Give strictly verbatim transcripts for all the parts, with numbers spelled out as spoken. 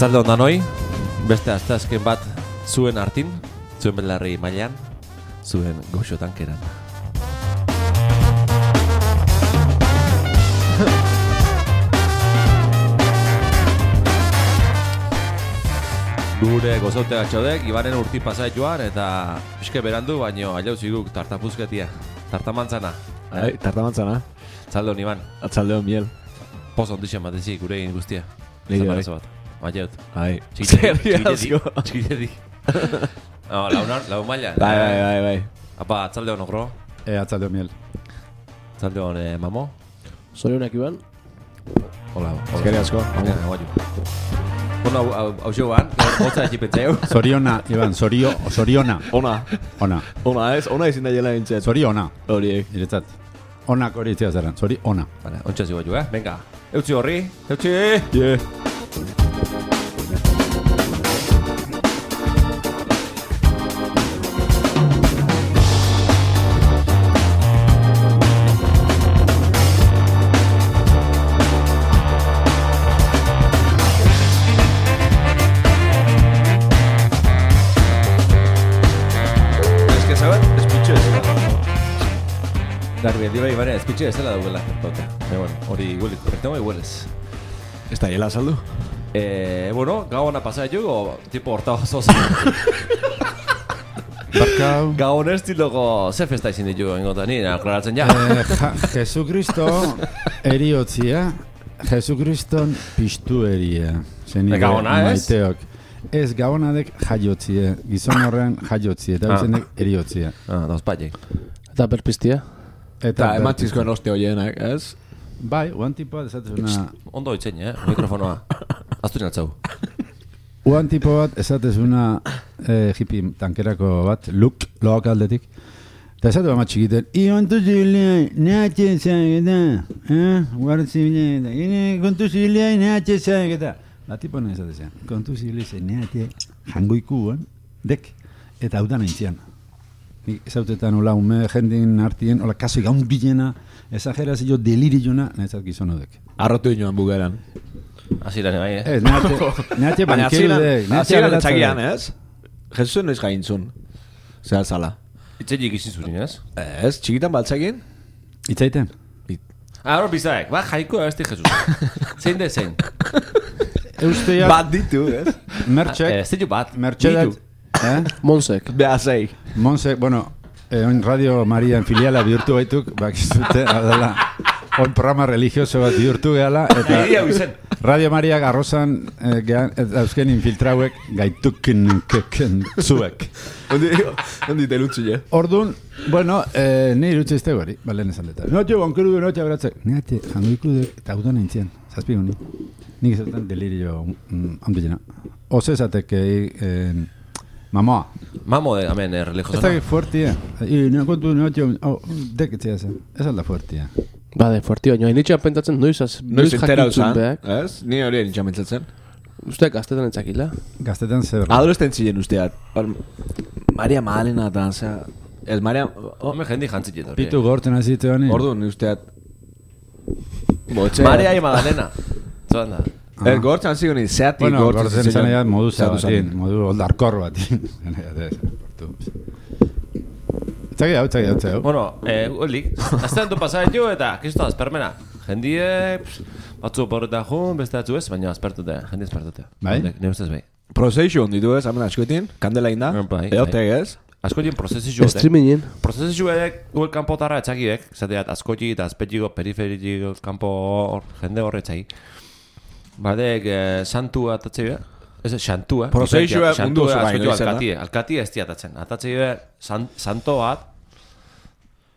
Arratzalde ondan hoi, beste asteazken bat zuen artin, zuen belarri mailan, zuen goxo tankeran. Gure gozote gatxodek, Ibaren urti pasait joan, eta eske berandu, baino ailauziguk tartapuzketia, tartamantzana. Ai, tartamantzana. Atzalde hon, Iban. Atzalde hon, miel. Pozo ondixen bat ezik, gure egin guztia. Nire bat. Ailaut. Ai. Txikitetik. Txikitetik. No, launar, lau maila. Bai, bai, bai, bai. Apa, atzalde hon, ogro. E, atzalde hon, miel. Atzalde hon, eh, mamo. Zorionak, Iban. Hola. Ezkerri asko. Bueno, hau joan, gotza ekipetzeu. Zoriona, Iban, zorio, zoriona. Ona. Ona. Ona ez, ona ezin da jela bintzet. Zoriona. Horiek. Iretzat. Onak hori itzia zaren, zori ona. Vale, ontsa zigo jo, eh? Venga. Eutzi horri, eutzi! Yeah. Darbi, diba Ibare, ezpitxe ez dela daugela. Bueno, hori huelik, korrektengo iguelez. Ez da hiela saldu? Eh, bueno, gau hona pasai jugo, tipo horta oso. Barkau. Gau hona estiloko ze festa izin ditu ingotan, nire aklaratzen ja. Eh, ja, Jesukristo eriotzia, Jesukriston piztu eria. Zenide Gabona, ez? maiteok. Ez, gabonadek jaiotzie, gizon horren jaiotzie, eta bizenek eriotzia. Ah, dauz paiek. Eta berpiztia. Eta emantzizkoen oste horienak, ez? Bai, uan tipoa esatezuna... Ondo itzen, eh? Mikrofonoa. Aztu natzau. Uan tipo bat esatezuna eh, hippie tankerako bat, luk, loak aldetik. Eta esatu bat txikiten, iontu zilea, nehatxe zageta, eh? Guartzi bilea, ine kontu zilea, nehatxe zageta. La tipo nahi esatezea, kontu zilea, nehatxe jangoikuan, dek, eta hau da nahintzian. Nik ezautetan hola ume jendin artien, hola kaso gaun bilena, esagerazio deliriluna, nahitzat gizon hodek. Arrotu inoan bugeran. Aziran, bai, eh? Ez, nehatxe bankerudek. Aziran etzakian, ez? Jesusen noiz gaintzun. Zehal zala. Itzetik izin zurin, ez? Ez, txikitan baltzakin? Itzaiten? Ah, hor bizaek, ba, jaiko abesti Jesus. Zein de zein? Eusteak... Bat ditu, ez? Mertxek... Ez ditu bat. Mertxedak... Eh? Monsek. Behazei. Monse, bueno, eh, oin Radio Maria en filiala bihurtu baituk, bakizute, adela, oin programa religioso bat bihurtu gehala, eta Radio Maria garrozan eh, gehan, eusken infiltrauek gaitukin keken zuek. Ondi telutzu, je? Ordun, bueno, eh, ni irutze izte gori, balen esan deta. Note, bankeru du, note, abratzek. Neate, jangoiku dek, eta udan nintzen, zazpigun ni. Nik ezaten delirio mm, ondilena. Oze esatek, eh, Mamoa. Mamo de, amen, eh, religioso. Ez da fuertia. I, no kontu, no, tio, oh, deketzea zen. Ez alda fuertia. Bade, fuertio, nioa initxean pentatzen noiz, noiz jakintzun behak. Ez? Ni hori initxean pentsatzen. Usteak gaztetan entzakila. Gaztetan zer. Adolescentzien usteat. Maria Magdalena eta, zera... Ez, Maria... Home jendi jantzit hori. Pitu gortzen azitu honi. Orduan, usteat... Botxe... Maria y Magdalena. Zoan da. El gortzen zigo ni, zeatik bueno, gortzen gortzen zigo. izan edo modu zabatin, modu oldarkor batin. Txaki hau, txaki hau, txaki hau. Bueno, eh, holik, aztean du pasaren jo eta, kisto azpermena. Jendie, batzu porreta jun, beste atzu ez, baina azpertute, jendie azpertute. Bai? Ne ustez bai. Prozesio onditu ez, hamen askoetin, kandela inda, Bai, eotek ez. Askoetien prozesio jote. Streamingen. Prozesio edek, guel kanpotarra etxakiek, zateat askoeti eta azpetxiko, periferiko, kanpo jende horre etxaki. Badek, eh, santua atatze bera? Ez, xantua. Prozesioa mundu oso gaino izan da. Alkatie, alkatie ez diatatzen. Atatze bera, san, santo bat,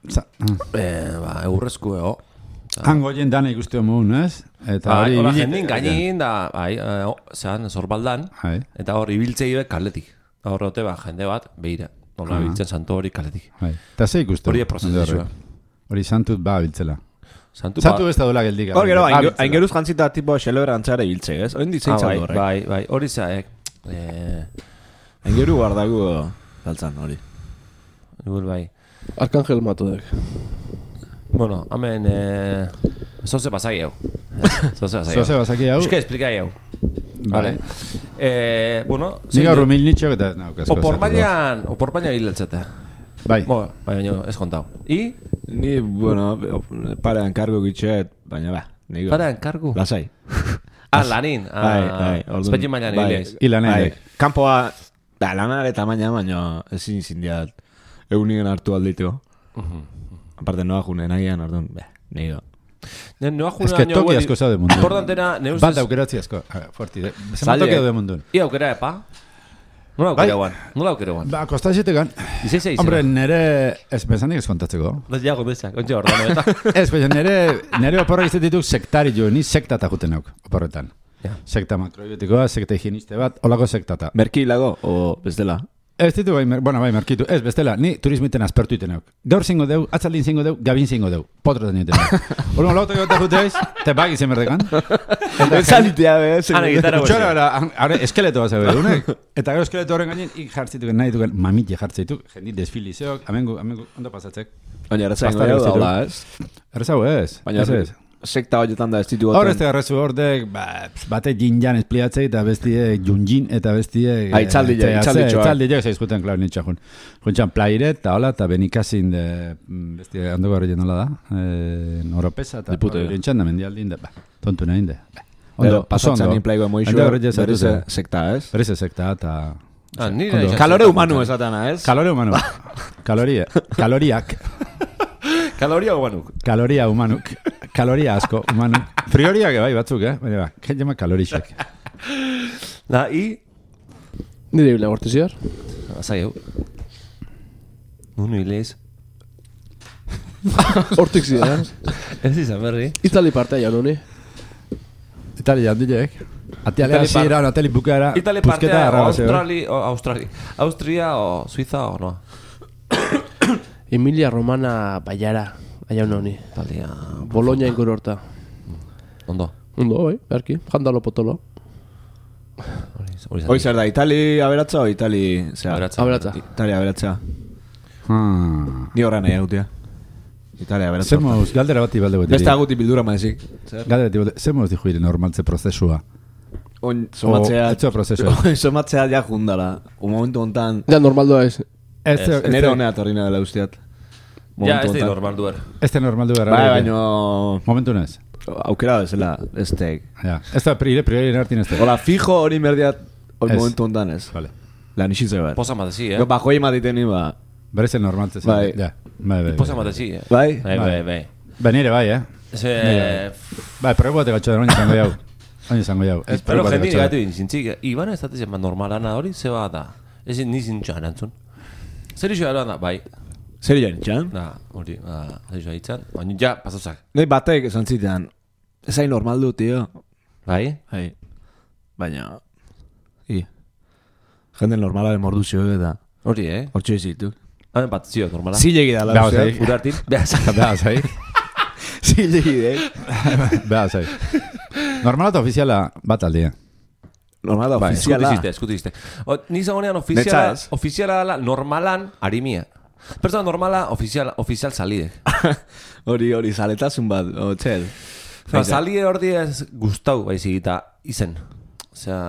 Sa- ah. eh, ba, eurrezku ego. Hango jen dana ikuste homun, ez? Eta Bai, hori... hola ibili- jendin gainin da, bai, eh, oh, zean, zorbaldan, Bai. eta hor ibiltzei be kaletik. Hor rote ba, jende bat, behira. Nola Ah. ibiltzen santo hori kaletik. Bai. Eta ze ikuste? Hori prozesua. Hori santut ba biltzela. Santu, Santu ez da duela geldik. Hor gero, Ba biltzela. aingeruz jantzita tipo xelebra antzare biltze, ez? Oin ditzen ah, bai, zaudu horrek. bai, bai, hori zaek. Eh, Aingeru bardagu galtzan hori. Igual bai. Arkangel matodek. Bueno, hemen... Eh, zoze basaki hau. Zoze basaki hau. Zoze basaki hau. Euske esplikai hau. Vale. Eh, bueno, Ni gaur humil nitxok eta naukazko. Opor bainan, opor bainan hilatzete. Bai. Bo, baina ez kontau. I? Ni, bueno, parean kargo gitxet, baina ba, nigo. Parean kargu? Lasai. Ah, lanin. Bai, bai. Espetxe bainan hilez. Ilanen. Bai, kanpoa, da, lanare tamaina, baina ezin zindiat egunien hartu alditeko. Aparte, noa june nagian, orduan, be, nigo. Noa june Ez que toki asko zaude mundu. Importantena, ne ustez... Bat aukeratzi asko. Forti, zema toki daude mundun. Ia aukera, epa? Nola aukera guan? Nola aukera guan? Ba, kostaxetekan. Izei zei Hombre, nere... Ez, bezanik ez kontatzeko. Bez jago bezak, ontsi ordano eta. Ez, baina nere, nere oporrak izan dituk sektari jo, ni sektata juten nauk, oporretan. Ja. Sekta makrobiotikoa, sekta higieniste bat, olako sektata. Merki lago, o bestela? Ez ditu bai, mer, bueno, bai, merkitu. Ez, bestela, ni turismiten aspertu iten nauk. Gaur zingo deu, atzaldin zingo deu, gabin zingo deu. Potro den iten nauk. Olmo, lauta gota juteaiz, te bagi zen berdekan. Ezalitea, be, Ana, gitarra Txora, gozi. bera, ahora, eskeleto bat zabe, unek. Eta gero eskeleto horren gainen, ik jartzituken nahi duken, mamit jartzaituk, jendit desfilizeok, amengu, amengu, ondo pasatzek. Baina errezaingo Bastante jau guztitu. da, ez? Errezau ez, Baina ez ez. sekta horietan da ez ditu Hor ez da garrezu hordek, ba, bate jinjan espliatzei eta bestie junjin eta bestie... Ah, itzaldi ja, itzaldi txoa. Itzaldi ja, zaizkuten, klar, nintxakun. Juntxan plairet, eta hola, eta benikazin de... Bestie, hando garri nola da, eh, noropesa, eta Diputo, ja. rintxan da mendialdin de, ba, tontu nahin de. Ba. Ondo, paso ondo. Pasatzen inplaigo emoixo, Hando garri jazatu berrize zen. sekta, ez? Berrize sekta, eta... Ah, nire Ondo. izan Kalore zen. humanu esatana, ez? Kalore humanu. Kaloria. Kaloriak. Kaloria guanuk. Kaloria humanuk. Kaloria asko humanuk. Frioriak bai batzuk, eh? Baina ba, jen jama kalorixek. Da, i... Nire bila gortiziar. Azai, hau. Nunu hilez. Hortik zidan. Ez izan berri. Itali partea jau noni. Italia handiek. Atialea Itali par- zira, Natali bukaera. Itali pusketa partea, o arrabazeo. Australi, o Australi. Austria o Suiza o no. Emilia Romana baiara. Aiau noni. Italia... Bologna inguru horta. Ondo. Ondo, bai, berki. Jandalo potolo. Hori hori Hoi zer da, Itali aberatza o Itali... Zera, Aberatza. Aberatza. Itali aberatza. Hmm. Ni horra nahi agutia. Itali aberatza. Zer moz, galdera bati balde gueteri. Beste aguti bildura maezik. Zer? Galdera bati balde, zer moz dijo ire normaltze prozesua? On, somatzea... O, etxo prozesua. Somatzea ja jundala. Un momentu hontan... Ja, normaldoa ez. Ez, Ez, ez, Nere ez, honea torrina dela usteat. Ja, ez da normal duer. ez da normal du gara. Bai, baino... Momentu nez. Aukera bezala, ez teik. Ja. Ez da prire, priori nartin ez da. Hola, fijo hori merdiat... Hori Ez. momentu hontan ez. Vale. Lan isitze bat. Posa matezi, eh? Gero, bajoi ematiten ni, ba... Berez el normaltze zen. Bai. Ja. Bai, bai, Posa bai. matezi, eh? Bai? Bai, bai, bai. Ba, nire bai, eh? Ese... Bai, probo bate gatxo da, oin izango jau. Oin izango jau. Ez Pero probo bate jendini gatxo gaitu da. inzintzik, Iban ez datezen bat normalana hori, zeba da. Ez ni zintxoa erantzun. Zer iso da, bai. Zer joan itxan? Da, hori, ba, zer iso ditzen. Baina ja, pasuzak. Nei batek esan zitean. Ez hain normal du, tio. Bai? Bai. Baina... I. Jende normalaren morduzio eta... Hori, eh? Hortxo izitu. Hamen bat zio, normala. Zilegi da, Beha, la zai. usteat. Urartin. Behazak. Beha, zai. Zilegi, eh? Beha, zai. Normala eta ofiziala bat aldia. Normal da, Bai, ofiziala. eskutiziste, eskutiziste. O, ni zagonean ofiziala, Netza ez. ofiziala dela normalan arimia. Persona normala, ofizial, ofizial salidek. Hori, hori, zaletasun bat, o, txel. Ba, salide hor ez gustau baizik eta izen. Osea,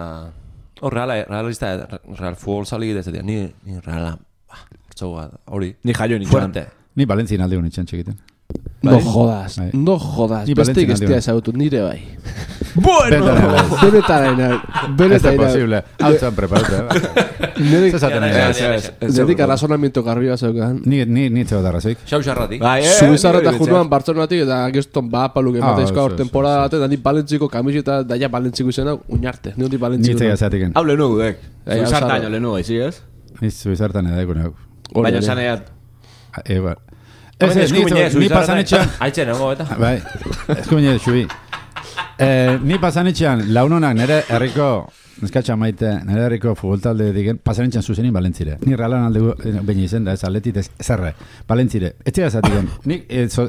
hor reala, realista, real futbol salide ez dira, ni, ni reala, bah, txau bat, hori. Ni jaio nitxan. Fuerte. Ni Valentzien alde honi txan txekiten. No jodas, Bai. no jodas. Ni Besteik Valentzien ez aldi dira bai. ezagutu, nire bai. Bueno! Benetaraina, Ez da benetaraina. posible. Hau zan preparatu, eh? Nire Zezaten Ja, nahi. ja, Ez, ja, ez, ja. ez. Nedik arrazonamiento garbi bat zeukan. Ni, ni, ni txeo darrazoik. Xau xarratik. Bai, eh? Zubizarra eta nire junuan Bartzelonatik eta geston ba paluk Ah, emateizko oso, hor oso, temporada oso. bat eta ni balentziko kamiseta daia balentziko izena uñarte. Ni hori Ni balentziko. txea zeatiken. Hau lehenu gudek. Bai, hau Zuzartaino zaro. lehenu gaizi, ez? Ni zuizartan edeko nago. Baina esan eat... Eba. Ez, ez, ni, ni pasanetxean... Aitzen, ego eta. Bai, eskumine xubi. Eh, ni pasanetxean launonak nire herriko, neskatxa maite, nire herriko futboltalde digen, pasanetxean zuzenin Balentzire. Ni realan alde baina izen da, ez atletit ez zerre. Balentzire. Ez tira zatiken, nik eh, so,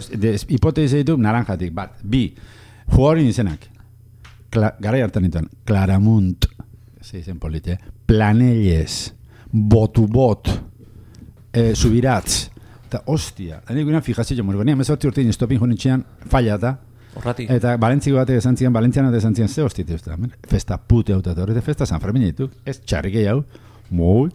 hipotezi ditu naranjatik, bat, bi, jugadorin izenak. Kla, gara hartan ditan, Claramunt, ze izen polite, Planelles, Botubot, eh, Subiratz, eta hostia, da nik guinan fijazio mori, baina mezorti urtein estopin jonitxean, falla eta, Horrati. Eta Valentziko batek esan zian, Valentzian batek esan zian, ze hostite uste, festa pute hau eta horrete festa San Fermin dituk, ez txarrikei hau, moi.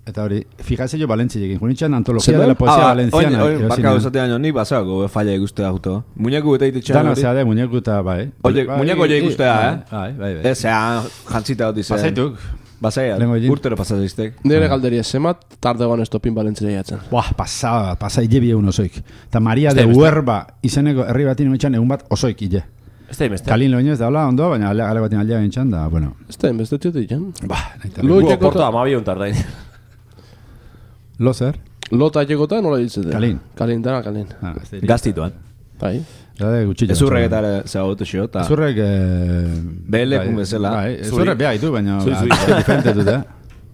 Eta hori, fijase jo Valentziekin, junitxan antologia de la poesia valenciana. Oin, oin, baka usate baino, nik basako, falla ikustea juto. Muñeku eta itetxean hori. Dano, zea de, muñeku eta bai. Oye, muñeku oie ikustea, eh? Bai, bai, bai. Ez, zea, jantzita hoti zen. Pasaituk. Basaia, urtero pasazeiztek. Nire galderia, zemat tarde goan estopin Valentzia jatzen. Buah, pasa, pasa hile egun osoik. Eta Maria de Huerba izeneko herri batin oitxan egun bat osoik hile. Ez da imeste. Kalin loinez da hola ondo, baina ale batin aldea bintxan da, bueno. Ez da imeste txote ditzen. Bah, nahi Lo porta amabion tardain. Lo zer? Lota egota nola ditzete? Kalin. Kalin, dara kalin. Gaztituan. Bai. Zade gutxilla. Ezurrek eta zagotu xio. Ezurrek... Behelekun bezala. Ezurrek beha ditu, baina... Diferente dute.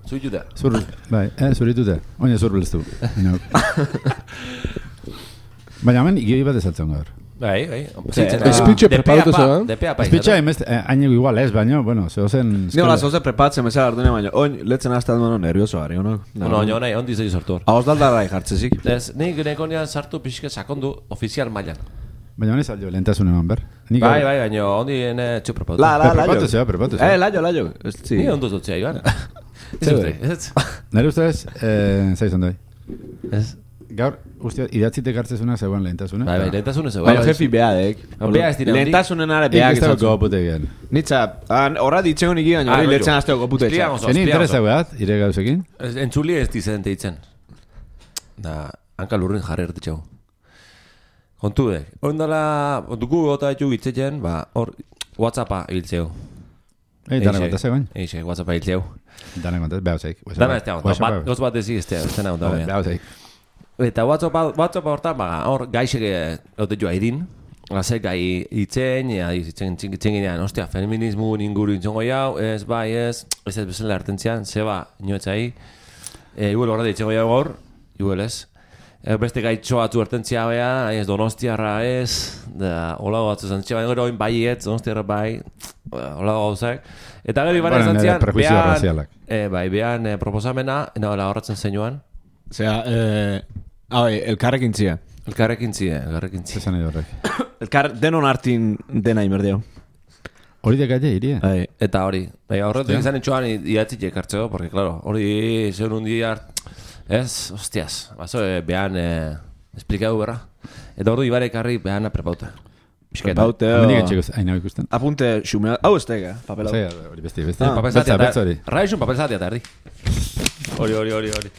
Zuituta. Zur, bai, eh, zuritute. Oina zur beleztu. Baina hemen igioi bat ezaltzen gaur. Bai, bai. Espitxe preparatu zuen. Espitxe emest, haineko igual ez, baina, bueno, zehozen... Nio, la zehozen prepatzen bezala ardune baina, oin, letzen hasta dueno nervioso gari, ono? No, no, nahi, ondi zei sortu hor. Hauz daldarra ikartzezik. Ez, nik nekonean sartu pixke sakondu ofizial mailan. Baina honi saldo, lehentasun eman ber. Bai, bai, baina ondi ene txu prepatu. La, la, la, prepatu zea, prepatu zea. Eh, laio, laio. Ni ondo zutzea, Iban. Ez, nire ustez, zaizan doi. Ez. Gaur, uste, idatzitek hartzezuna zegoen lehentasuna. Bai, bai, lehentasuna zegoen. Baina jefi behadek. Bea ez dira. Lehentasunen ara behak izan. Ikusteko gopute gian. Nitza, horra ditzegon iki gaino, hori letzen azteko gopute etxak. Zeni interesa behat, ire gauzekin? Entzuli ez dizen teitzen. Da, hanka lurrin jarri ertitxau. Kontu dek. Ondala, dugu gota etxu gitzetzen, ba, hor, Whatsappa hiltzeu. Ei, dana kontaz egoen? Eixe, Whatsappa hiltzeu. Dana kontaz, behau zeik. Dana ez tegon, goz bat ezi ez tegon. Behau zeik. Eta WhatsApp hortan, baga, hor, gaixek egote joa idin. Gazek gai itzen, itzen ginean, ostia, feminismu inguru intzongo jau, ez, bai, ez, ez ez bezala hartentzian, zeba, inoetzai. Iguel horret itzengo jau gaur, iguel ez. Beste gaitxo batzu hartentzia bea, ez donostiarra ez, da, hola batzu zantzia, baina gero oin bai ez, donostiarra bai, hola gauzak. Eta gero iban ez zantzian, bai, behan proposamena, nagoela horretzen zeinuan. Osea, eh... Ah, bai, elkarrekin zia. Elkarrekin zia, elkarrekin zia. Zezan edo horrek. Elkar, denon hartin dena imerdeo. Hori dekaile, iria. Bai. Eta hori. Bai, horretu izan etxoan idatzit ekartzeo, porque, claro, hori zeun un dia hart... Ez, hostias. Baso, eh, behan eh, esplikau berra. Eta hori ibarek harri behan aprepauta. Prepaute, o... Nik etxeko hain hau ikusten. Apunte xumea... Hau ez tega, papelau. Zega, hori besti, besti. Ah, papel zati eta... Raixun papel zati eta erdi. Hori, hori, hori, hori.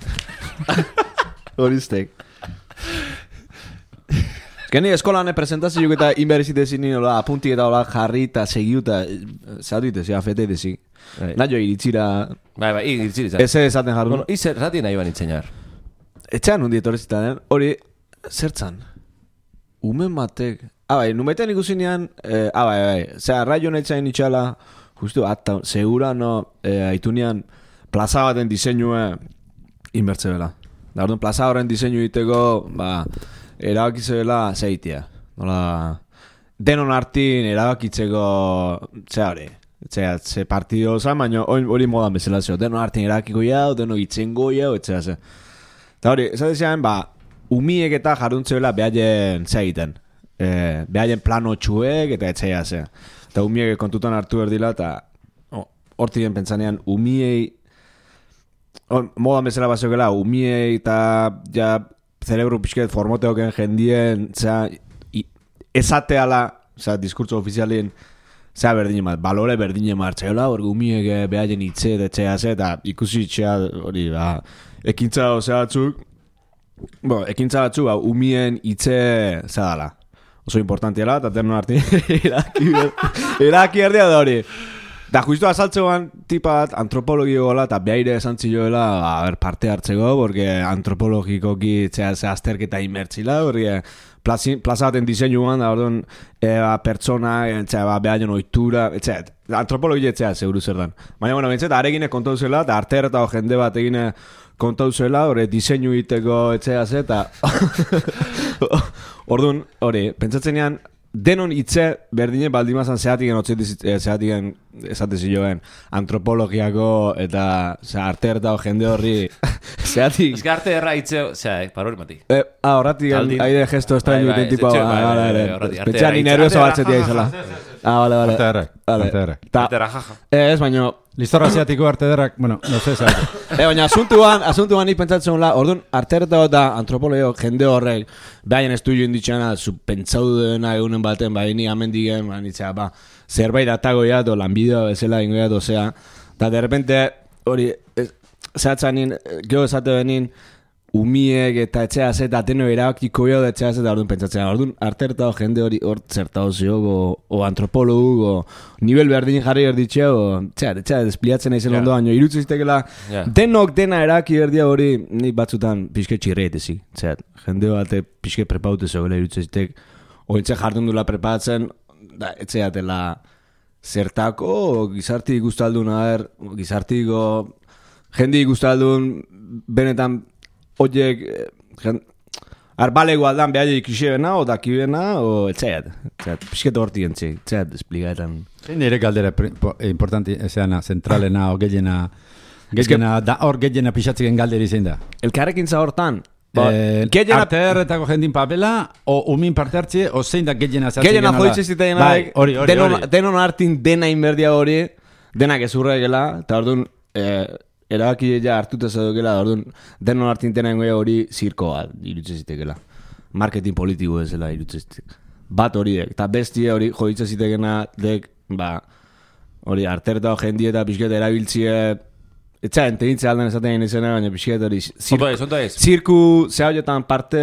Horiztek. Geni eskolan presentazioak eta inberizite zini hola, apuntik eta hola jarri eta segiu eta zatu ite, zea fete ite zik. Naio iritzira... Bai, bai, iritzira izan. Eze esaten jarru. Bueno, izer rati nahi ban itzenar. Etxean hundi etorrezitan, hori zertzan. Umen batek... Ah, bai, numeten ikusinean... Eh, ah, bai, bai. Zea, raio netzain itxala... Justu, ata, segura no... Eh, aitunean... Plaza baten diseinua... Inbertze bela. Da, orduan, plaza horren diseinu iteko... Ba... Erabakizela zeitia. Nola... Denon hartin erabakitzeko... Zea hori... Zea, ze partido zan, baina hori modan bezala zeo. Denon hartin erabakiko jau, denon itzengo jau, etzea ze. Eta hori, ez adezean, ba... Umiek eta jaruntzela behaien zea egiten. Eh, behaien plano txuek eta etzea ze. Eta umiek kontutan hartu erdila eta... Hortien pentsanean, umiei... Modan bezala bazeokela, umiei eta... Ja... Cerebro pixket formoteoken jendien, zera, esateala, zera, diskurtso ofizialien, zera berdine mat, balore berdine martzaiola, hori gumiek behaien itze, etxea ze, eta ikusi itxea, hori, ba, ekintza ozea batzuk, bo, ekintza batzuk, ba, umien itze, zera dala, oso importantiela, eta terno harti, eraki, eraki erdia da hori. Da, justu azaltzegoan tipa bat antropologio gola eta behaire esan zioela a ber, parte hartzeko, porque antropologikoki zea ze azterketa imertzila, porque plaza baten diseinuan, da, orduan, e, ba, pertsona, zea, ba, behaien oitura, etxet, antropologia etzea, seguru zer dan. Baina, bueno, bentzet, aregine kontau zela, eta arter eta jende bat egine kontau zela, hori, diseinu iteko etzea ze, eta orduan, hori, pentsatzenean, denon hitze berdine baldimazan zehatigen zehatigen esate zioen antropologiako eta arte ertao jende horri zehatik... Ez que arte erra hitze, zera, parori mati. Eh, ah, horratik aire gesto extraño iten tipo... Petxean ni nervioso batzetia izala. Ah, vale, vale. Arte errak. Arte errak. Arte errak, jaja. Ez, baino... Listorra asiatiko arte derrak, bueno, no sé, sabe. Eh, baina asuntuan, asuntuan nik pentsatzen la, orduan, arte ertao eta antropologio jende horrek, behaien estudio inditxana, zu pentsau duena egunen baten, bai ni amendigen, ba, nitzea, ba, zerbait atagoia, do lanbidea bezala ingoia, dozea, eta de repente, hori, zehatzanin, geho esate benin, umiek eta etxea zeta, ateno erabakiko jo da etxea zeta, orduan pentsatzen, orduan, arte ertao jende hori hor zertao ziog, o, o antropologu, o nivel berdin jarri erditxe, o, txea, txea, despliatzen aizen ondo, baino, irutzu zitekela, yeah. denok dena eraki erdia hori, nik batzutan pixke txirreet ezik, txea, jende bate pixke prepaute zegoela irutzu zitek, ointxe jardun dula prepatzen, da, etxea dela zertako, o, gizarti guztaldun, aher, gizartiko, jendi guztaldun, benetan, oiek, arbalego aldan behar ikisibena, o dakibena, o etxeat. Etxeat, pixketo horti gentzi, etxeat, esplikaetan. Zein nire galdera importanti, ezeana, zentralena, o gehiena, gehiena, da hor gehiena pixatziken galderi zein da? Elkarrekin zahortan. Eh, arte erretako jendin papela, o umin parte hartzi, o zein da gehiena zertzik gehiena joitze ziteien bai, hori, hori, denon, hori. Denon hartin dena inberdia hori, denak ezurregela, eta orduan, eh, erabaki ja hartuta zedokela, orduan, denon hartin dena ingoia hori zirkoa irutze zitekela. Marketing politiko ezela irutze zitekela. Bat horiek, eta bestie hori joitze zitekena, dek, ba, hori arterta jendie eta pixketa erabiltzie, etxa, entegintze alden esaten egin izena, baina pixketa hori zirku zehaiotan parte,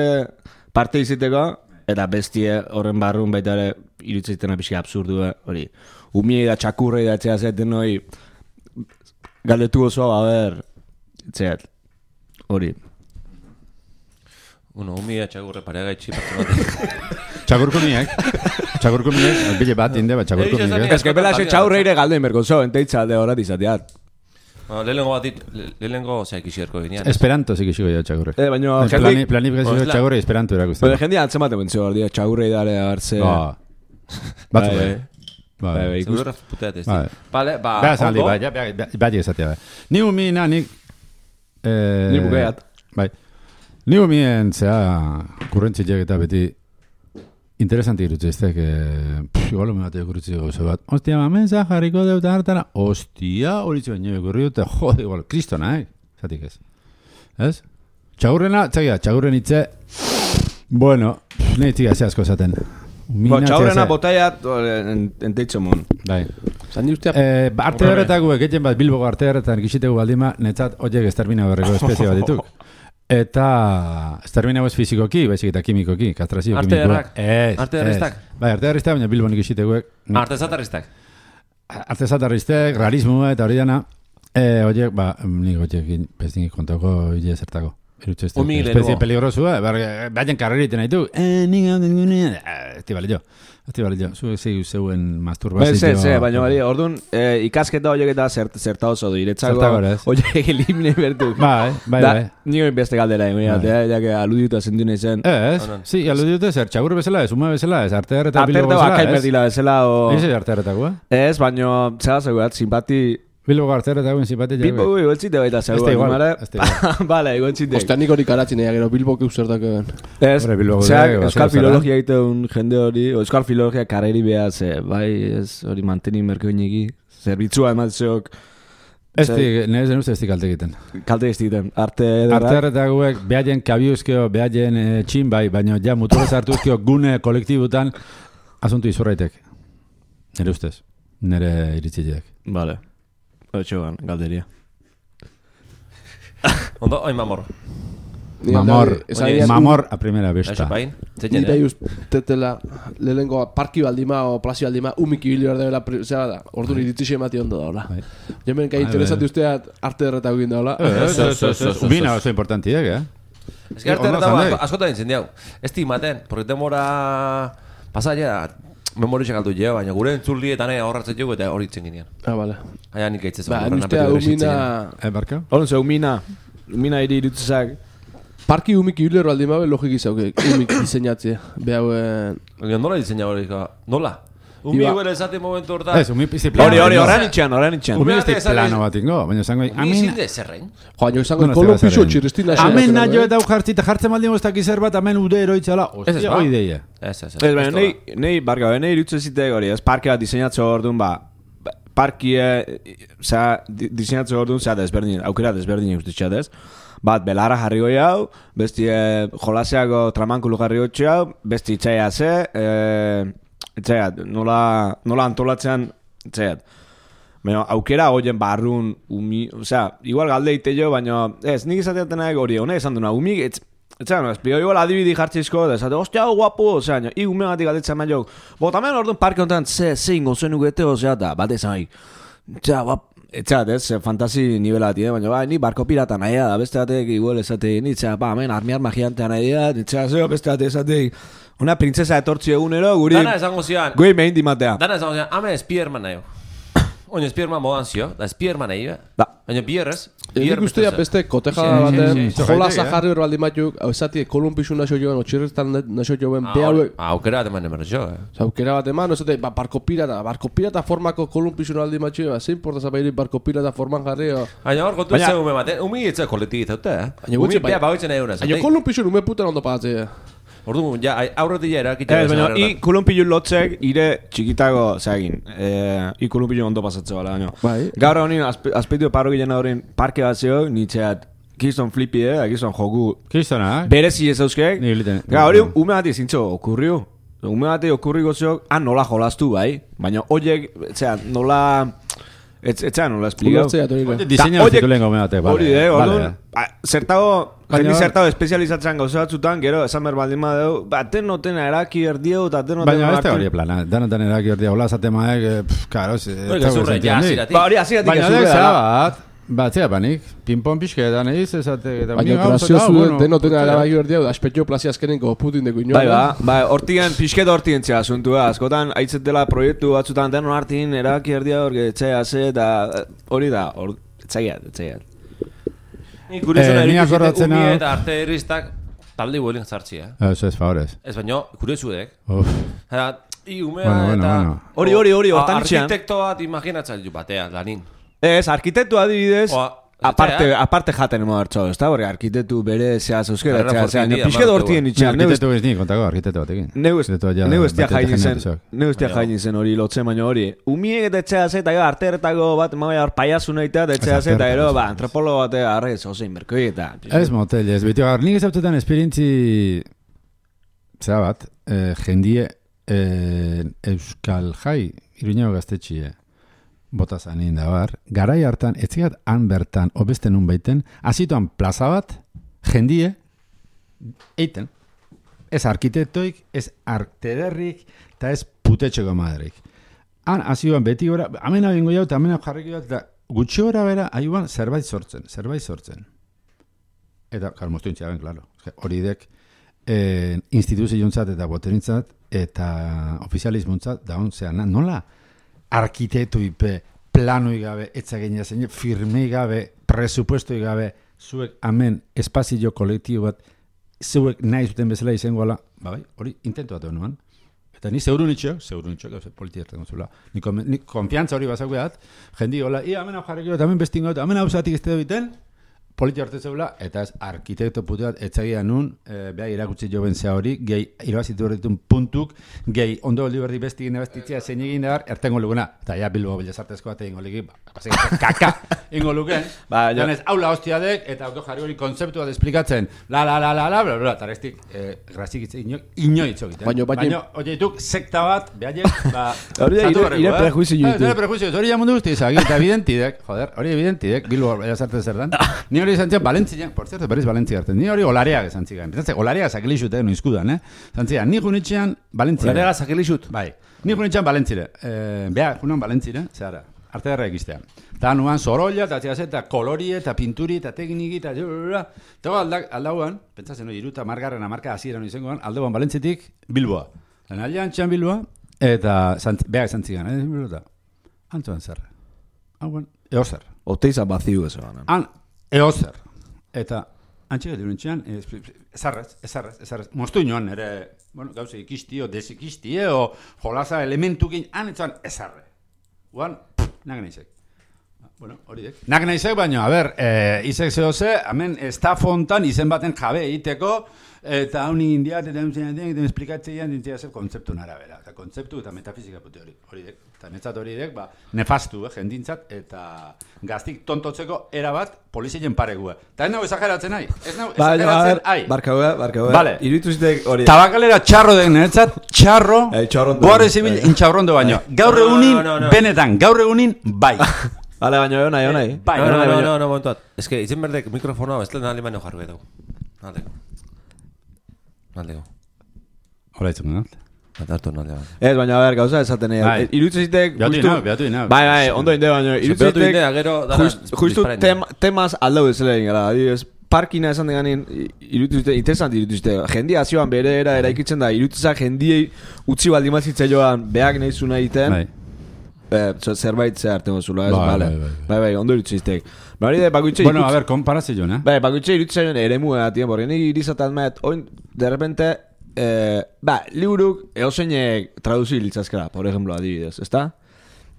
parte iziteko, eta bestie horren barrun baita ere irutze zitena pixka absurdua, hori, umiei da txakurrei da etxea zeten hori, galdetu osoa, a ber, etxeat, hori. Bueno, umia txagurre pareaga itxi partu Txagurko miek, txagurko miek, bile bat inde, bat txagurko miek. Ez que pela xe txaurreire galden berkonzo, enteitza alde horat izateat. Lehenengo bat dit, lehenengo zeak isierko ginean. Esperanto zik isiko jo txagurre. Eh, baina... Planifikatzio txagurre esperanto erakusten. Baina jendia antzemate bentzio, txagurre idare hartze... Batzu bai. Bai, seguro puteat ez. Vale, ba, ondo. Bai, bai, esatea. Ni umina, ni... Ni bukeat. Bai. Ni umien, zea, kurrentzilek eta beti interesanti irutze eztek, igual me bate kurritzi gauza bat. Ostia, mamenza jarriko deuta hartara. Ostia, horitzu baino ekurri dute, jode, igual, kristona, eh? Zatik ez. Ez? Txagurrena, txagia, txagurren hitze, bueno, nahi txiga zeazko esaten. Ba, txaurena botaiat enteitzo mon. Bai. Zandi ustea... Eh, arte horretako egiten bat Bilboko arte horretan gizitegu baldima, netzat oiek estermina berreko espezie bat dituk. Eta estermina ez fizikoki, baizik eta kimikoki, kastrazio arte kimikoa. Arte errak? Arte erriztak? Bai, arte erriztak, baina Bilbon giziteguek. Arte zatarriztak? Arte zatarriztek, rarismo eta hori dana. Eh, oiek, ba, nik oiek pestingik kontako hile zertako. Espezie peligrosua, baina karreriten nahi du. Eh, nik hau den gunean. Esti bali jo. Esti bali jo. Zuek zeu zeuen masturbazio. Ez, ez, baina bali, orduan ikasketa horiek eta zerta oso du. Iretzako horiek elimine bertu. Bai, bai, bai. Nio beste galdera, ya que aludiuta zendu nahi zen. Ez, si, aludiuta zer, txagur bezala, ez, uma bezala, ez, arte harreta Bilbo bezala. Arte harreta berdila bezala. Ez ez arte harretakoa? Ez, baina, zera zegoat, simpati... Bilbo gartera eta guen simpati Bilbo gui, goltzite baita zeu. Este igual, este igual. Bale, goltzite. Ostea nik hori karatzen ega, gero Bilbo keuzertak egan. Ez, zeak, euskal filologia egiten jende hori, euskal filologia karreri behar, ze, bai, ez, hori manteni merko inegi, zerbitzua ematzeok. Esti, nire zen uste esti kalte egiten. Kalte egiten, arte edera. Arte edera guek, behaien kabiuzkeo, behaien txin bai, baina ja muturez hartuzkeo gune kolektibutan, asuntu izurraitek. Nire ustez, nire iritzileak. Bale. Otxoan, galderia. Ondo, oin mamor. Mamor, mamor a primera vista. Nita justetela lehenko parki baldima o plazio baldima umiki bilio erdebela, zera da, ordu iritzixe emati ondo daula. Jamen, kai interesati usteat arte derretako egin daula. Umina oso importantiek, eh? Ez que arte derretako askotan incendiau. Ez timaten, porque demora pasaia... Memoriak galdu jo, baina gure entzuldi eta nahi ahorratzen jo eta hori itzen ginean. Ah, bale. Aia nik aitzez. Ba, nustea umina... Eh, barka? Horon ze, umina. Umina iri irutzezak. Parki umik ibilero aldi mabe logik izauke, umik diseinatzea. Behauen... Nola diseina hori, nola? Umi huele esate momentu horta... Ez, umi pizti plano. Hori, hori, horren itxean, horren itxean. Umi pizti plano bat ingo, baina zango... Umi izinde zerrein. Joan, jo izango kolonpixo txirrestina... Amen nahi eta jartzi eta jartzen maldin goztak izer bat, amen ude eroitzala. Ostia, hoi deia. Ez, ez, ez. Ez, baina, nahi, barka, nahi irutzen zitek hori, ez parke bat diseinatze hor duen, ba, parkie, zera, diseinatze hor duen, zera desberdin, aukera desberdin ustitxat ez. Bat, belarra jarri goi hau, besti jolaseago tramankulu jarri goi hau, besti itxaia ze, itxaiat, nola, nola antolatzean, itxaiat. Baina, aukera goien barrun, umi, osea, igual galde ite jo, baina, ez, nik izateatenak hori, honek esan duna, umik, etz, etxean, espio, igual adibidi jartzizko, da, esate, ostia, guapo, osea, i umegatik galdetzen main jok, botamen orduan parke honetan, ze, ze ingo zuen ugete, osea, da, bat ezan haik, etxea, guap, etxeat, ez, fantasi nivelati, eh? Baina, ba, ni barko pirata nahi da, beste batek, igual, esate, nitzea, ba, hemen, armiar magiantea nahi da, nitzea, zeo, beste batek, esate, una princesa etortzi egunero, guri... Dana esango zian... Gui mehin dimatea. Dana esango zian, hame Spiderman nahi. Oin Spiderman modan zio, da Spiderman nahi, da. Baina bierrez... Nik ustea beste koteja baten, jola zaharri hor baldi matuk, hau esati kolumpisu naso joan, otxirretan naso joan, behauek... Aukera bat eman eman jo, eh? Aukera bat eman, esate, ba, barko pirata, barko pirata formako kolumpisu baldi matuk, ba, zein porta zapairi barko pirata forman jarri, o... Baina hor, kontu ez ume bat, umi etxe kolektik izaute, eh? Umi bea bagoitzen nahi unaz. Baina kolumpisu ume putan ondo pagatzea. Ordu, ja, aurretik ja erakitxe. Ez, baina, i kulunpilu lotzek, ire txikitago, zeagin, i kulunpilu ondo pasatze bala, baina. Bai. Gaur honin, azpeitu paro gilen horren parke bat zeo, nitxeat, kiston flipi, eh, kiston joku. Kistona, eh? Berezi ez euskek. Gaur hori, ume bati zintxo, okurriu. Ume bati okurriko zeok, han nola jolastu, bai. Baina, oiek, etxea, nola... Etxean, nola esplikau. Diseña ez zituen gome batek, bale. Hori, eh, orduan, zertago... Jendi zertau espezializatzen gauza batzutan, gero, esan behar baldin badeu, baten notena eraki erdieu, eta ten notena baina ez da hori plana, danotan eraki erdieu, hola zate maek, karo, ez da zurre, ba, hori aziratik baina dek zera bat, bat zera panik, pinpon pixketan egiz, ezate, baina graziozu denotena eraki erdieu, aspetxo plazi azkenenko putin deko inoa. Bai, ba, ba, hortigen, pixket hortigen txea asuntua, askotan, aitzatela proiektu batzutan, denon hartin eraki erdieu, orgetxea ze, eta hori da, etxaiat, etxaiat. Ni kuriosuna erikizite umi eta arte erriztak talde huelin zartzi, eh? Eso es favorez. Ez baino, kuriosuek. I umea eta... Hori, hori, hori, hortan txean. Arkitekto bat imaginatzen du batea, lanin. Ez, arkitektu adibidez... Aparte, aparte jaten emo hartxo, ez da, hori, arkitektu bere zehaz euskera, zehaz, pixke dortien itxean. Arkitektu ez ni, kontako, arkitektu batekin. Neu estia jaini zen, neu estia jaini zen hori lotzen baino hori. Umiek eta etxeaz eta, arte erretako bat, maia hor paiazu nahi eta etxeaz eta, ero, ba, antropologo bat, arre, zozein, berkoi eta... Ez motel, ez, beti, gar, nik ezautetan esperientzi, zera bat, jendie euskal jai, iruñago gaztetxie, bota zanin da bar, garai hartan, etzigat han bertan, obeste nun baiten, azituan plaza bat, jendie, eiten. Ez arkitektoik, ez artederrik, eta ez putetxeko madrik. Han, azioan beti gora, amena bingo jau, eta amena jarriko jau, eta gutxi gora bera, aiuan zerbait sortzen, zerbait sortzen. Eta, klar, moztu intziaben, klaro. Hori dek, eh, instituziontzat eta boterintzat, eta ofizializmuntzat, da hon, zean, nola? Arkitektu ipe, planoi gabe, etzagenia zein, firmei gabe, presupuestoi gabe, zuek amen espazio kolektibo bat, zuek nahi zuten bezala izango ala, ba bai, hori intentu bat honuan. Eta ni zeurun itxo, zeurun itxo, gauze politi erten zula. Ni, ni konfiantza hori bazak behat, jendi hola, ia amen hau jarriko, eta amen bestingo, eta amen hau zatik ez te biten, politi arte zeula, eta ez arkitekto putu bat, etzagia nun, e, beha irakutsi jo bentzea hori, gehi irabazitu horretun puntuk, gehi ondo oldi berdi besti gine bestitzea zein egin dar, ertengo luguna, eta ja Bilbo Bellasartezko bat egin oliki, kaka, ingo luken, ba, janez, haula hostiadek, eta auto jarri hori kontzeptu bat esplikatzen, la, la, la, la, la, bla, bla, eta restik, eh, grazik itze, ino, ino itzo egiten. Baina, baina, oie dituk, sekta bat, behaiek, ba, hori da, ire prejuizio ditu. Ire prejuizio, hori jamundu guzti izak, eta evidentidek, joder, hori evidentidek, Bilbo Bellasartez zerdan, ni hori izan zian, Valentzian, por cierto, berriz Valentzia hartzen, ni hori olareak esan zigan, pentsatzen, olareak zakilixut, eh, no izkudan, eh, zantzia, ni junitxean Valentzia. Olareak zakilixut? Bai, ni junitxean Valentzire, eh, beha, junan Valentzire, zehara, arte darra egistea. Eta nuan zorolla, eta txase, eta kolorie, eta pinturi, eta tekniki, eta eta aldauan, pentsatzen, no, iruta margarren amarka hasieran izangoan, aldauan Valentzitik Bilboa. Lan aldean txan Bilboa, eta beha esan zigan, eh, Bilboa, antzuan zer. Hauan, eozer. Oteiza baziu ez banan. Han, eozer. Eta antxik edo nintxean, ezarrez, ezarrez, ezarrez. Moztu inoan, ere, bueno, gauze ikistie, o desikistie, o jolaza elementukin, anetzoan ezarre. Guan, nagen naizek. Bueno, hori dek. Nagen naizek, baina, a ber, eh, izek zehoze, hemen, estafontan izen baten jabe egiteko, eta hau nigin diat, eta hau zen diat, eta esplikatzean dintzea zer kontzeptu narabera. Eta kontzeptu eta metafizika pute hori, hori dek. Eta netzat hori dek, ba, nefastu, eh, jendintzat, eta gaztik tontotzeko erabat polizien paregue. Eta ez nago exageratzen nahi, ez nago exageratzen nahi. Barka hua, barka hua. Vale. Iruditu zitek hori. Tabakalera txarro dek netzat, txarro, guarre zibil intxaurrondo baino. Gaur egunin, benetan, gaur egunin, bai. Vale, baina egon nahi, egon nahi. Bai, no, no, no, no, no, momentuat. Ez que, itzen berdek mikrofonoa, ez lehen alemano jarru edo. Aldeko. Aldeko. Hola itzen dut. Eta hartu nalde bat. Ez, baina, a ber, gauza esaten nahi. Iruditu zitek... Beatu inau, beatu inau. Bai, bai, ondo inde, baina... Iruditu zitek... gero... Justu temaz aldau ezela egin gara. Adibidez, parkina esan deganin, iruditu zitek, interesant iruditu zitek. Jendia azioan bere era eraikitzen da, iruditu zitek jendiei utzi baldimazitza joan, behak nahi zuna egiten. Bai. Eh, zerbait ze arte mozula, ez, Bai, bale. bai, bai. Bai, bai, ondo iruditu zitek. Bari de, bakoitze Bueno, a ver, komparazio, ¿no? Bai, bakoitze iruditu zitek ere mua, tien, porque nik irizatan met, oin, de repente, eh, ba, liburuk eoseinek traduzi litzazkera, por ejemplo, adibidez, ezta?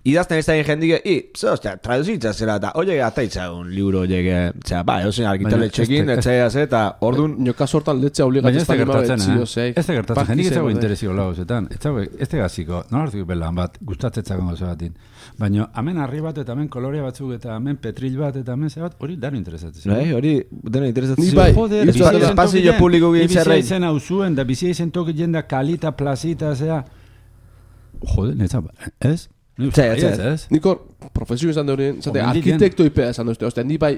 Idazten ez da egin jendik, i, ze, ostia, traduzi litzazkera, eta oie gataitza un liburu oie, zera, ba, eosein argitaletxekin, etxea ze, eta orduan... Nioka sortan letzea obligatzen ez da gertatzen, zio, eh? zei. Ez da gertatzen, jendik etzago interesiko lauzetan. Ez da gaziko, non hartuko belan bat, gustatzetzak gozo batin. Baina, hemen harri bat, eta hemen kolorea batzuk, eta hemen petril bat, eta hemen ze bat, hori dano interesatzen. Bai, hori, dano interesatzen. Ni bai, Joder, espazio publiko gien zerrein. Bizia izen hau zuen, da bizia izen toki jenda kalita, plazita, zera. Joder, netza, ez? Zea, zea. Nikor, profesio izan da horien, zate, Omen diken. arkitekto ipea esan duzte. Ostia, ni bai,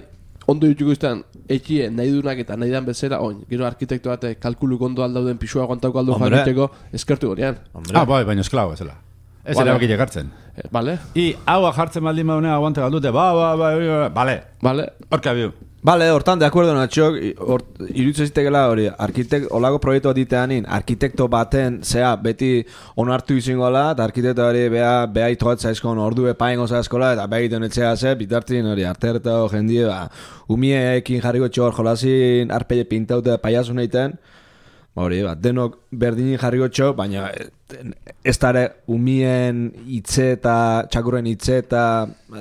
ondo dituko iztean, ekie nahi dunak eta nahi dan bezala, oin, gero arkitekto bate, kalkulu kondo aldauden, pisua aguantauko aldo Hombre. jakiteko, eskertu gorean. Ah, bai, baina esklabo ezela. Ez Vale. ere bakile gartzen. Eh, Vale, I, hau jartzen baldin baunea aguante galdute, ba, ba, ba, ba, bale, vale. horka biu. Vale, hortan, de acuerdo, Natxok, iruditzen zitekela hori, arkitek, olago proiektu bat diteanin, arkitekto baten, zea, beti onartu izingola, eta arkitekto hori beha, beha itogatza eskon, ordu epaingo zaizkola, eta beha egiten etxea ze, bitartin hori, arterta o jendie, ba, umieekin jarriko txor, jolazin, arpeile pintaute paiasun egiten, hori, ba, denok berdinin jarriko txo, baina ez dara umien hitze eta txakurren hitze eta,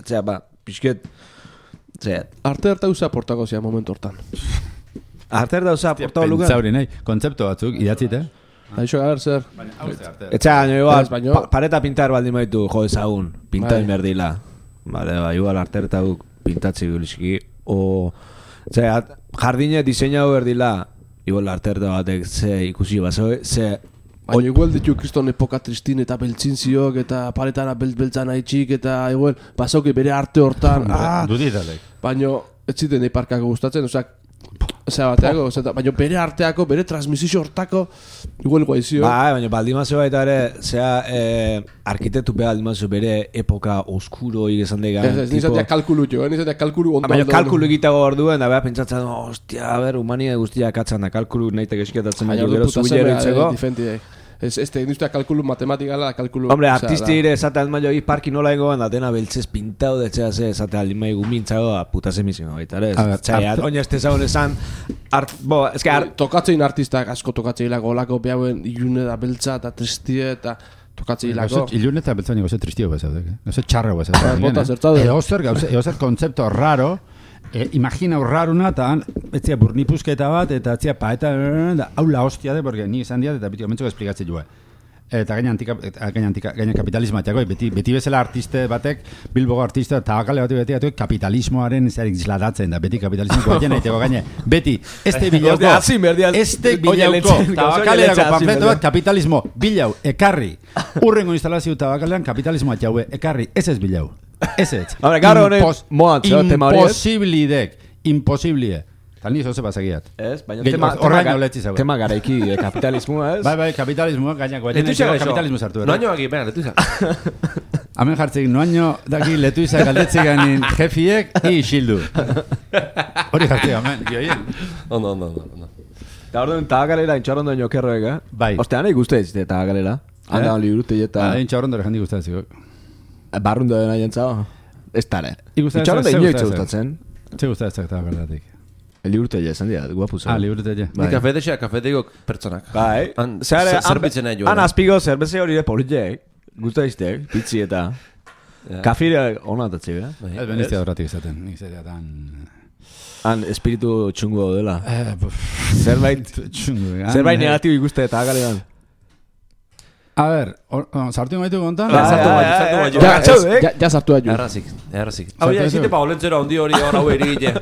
zea, ba, pixket, zea, Arte harta usa portako zea momentu hortan. arter dauza, portau lugar. Pentsauri nahi, kontzeptu batzuk, idatzit, eh? Aixo, a ber, zer. Etxea, baina igual, Ez, baino- pa, pareta pintar baldin baitu, jo ezagun, pintain Bai. berdila. Vale, ba, igual arterta guk pintatzi gulizki. O, zera, jardine diseinau berdila, igual arterta batek ze ikusi bazo, ze... Baina igual ditu kriston epoka tristin eta beltzin ziok eta paretara belt-beltzan haitxik eta igual basoki bere arte hortan. Ah, Duditalek. baina ez ziten eiparkako gustatzen, osea, osea bateako, osea, baina bere arteako, bere transmisio hortako, igual guaizio. Ba, baina baldimazo baita ere, zera, eh, arkitektu beha baldimazo bere epoka oskuro igezan degan. Ez, ez, nizatea kalkulu jo, eh, nizatea kalkulu ondo. Baina ondo- kalkulu egitago orduen, da beha pentsatzen, oh, ostia, a ber, humania guztia katzan da, kalkulu nahi tekesketatzen Baina dugu, ordu gero puta zubilero semea, itzeko. eh, difentie. Ez, ez, egin duztea kalkulu matematikala, kalkulu... Hombre, osea, artisti da- ere esaten maio hi parki nola ingoan da dena beltzez pintau de etxea ze esate alimai gumintzago a puta semizio baita ere. A ver, Zai, arte- oina este zaun esan art, bo, es que art, Tokatzein artistak asko tokatzeilako olako behauen ilune da beltza eta tristie eta tokatzeilako. Ilun eta beltzan goze tristio bazaudek, eh? Goze txarra Ba, bazaudek. bota zertzaude. Eozer, gauze, eozer kontzepto raro, e, imagina raruna eta etzia burnipusketa bat, eta etzia paeta, da, hau la hostia de, porque ni izan diat, eta beti gomentzoko esplikatzen joa. Eta gaina antika, gaina antika, gaina kapitalismatiako, beti, beti bezala artiste batek, Bilbogo artista, tabakale bati beti beti kapitalismoaren zerik zladatzen da, beti kapitalismoko baina egiteko gaine, beti, este bilauko, Hostia, hasi berdiaz- este Oye, bilauko, leche- tabakalerako leche hasi panfleto berdiaz. bat, kapitalismo, bilau, ekarri, urrengo instalazio tabakalean kapitalismoa jaue, ekarri, ez ez bilau, ez ez. Hombre, gaur honek Impos- moan, zeo, tema hori ez? Imposiblidek, imposiblie. Tal ni zoze pasagiat. ez, baina Gehi- tema, horraino tema, letzi zago. tema garaiki eh, kapitalismoa ez? Bai, bai, kapitalismoa, gainako, baina Letuizak gaixo. kapitalismo sartu. Noaino aki, venga, letuizak. Hemen jartzik, noaino daki letuizak galdetzik ganin jefiek, i xildu. Hori jartzik, hemen, gioien. Ondo, ondo, ondo, ondo. Eta orduan tabakalera intxarrondo inokerroek, eh? Bai. Ostea, nahi guzti ez tabakalera. Handa hon liburute eta Ba, egin txaurrondo rejandik gustatzeko. barrundo dena jentzao. Ez tare. Ikusten ez- Intxarrondo ze inoitze gustatzen? gustatzen. Ze gustatzen eta galderatik. Liburutele esan dira, guapu zen. Ah, liburutele. Ni kafetexea, kafeteiko pertsonak. Bai. Zer- zerbitzen nahi joan. Han azpiko zerbeze hori de politek, gusta iztek, pitzi eta... Kafire hona atatzi, eh? Ez beniztia horretik izaten. Nik zetea tan... Han espiritu txungo dela. Eh, Zerbait... txungu. Zerbait negatibo ikuste eta agalean. A ver, sartu maitu kontan? Ja, sartu maitu, sartu maitu. Ja, ja, ja sartu aiu. Errazik, errazik. Hau ja, izite pa olentzera ondi hori hor hau erigile.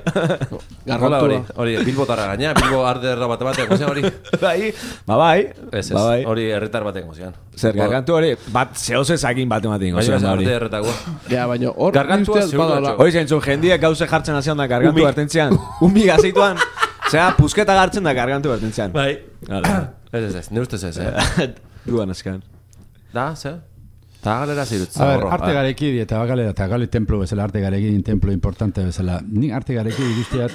Gargola hori, hori, bilbotarra gaina, bilbo arderra bate batean gozean hori. Bai, ba bai. Ez ez, hori erretar batean gozean. Zer, gargantu hori, bat zehose zakin bate batean gozean hori. Baina erretagoa. Ja, baina hor... Gargantua zeudu. Hori zentzun, jendiek gauze jartzen hazian da gargantu bertentzean. Umi gazeituan, zera, pusketa gartzen da gargantu bertentzean. Bai. Ez ez ez, ne ustez ez, eh? Duan eskan. Da, ze? Ta galera zirutz. A ver, arte gareki eta galera eta gali templo bezala, arte gareki templo importante bezala. Nik arte gareki ikustiat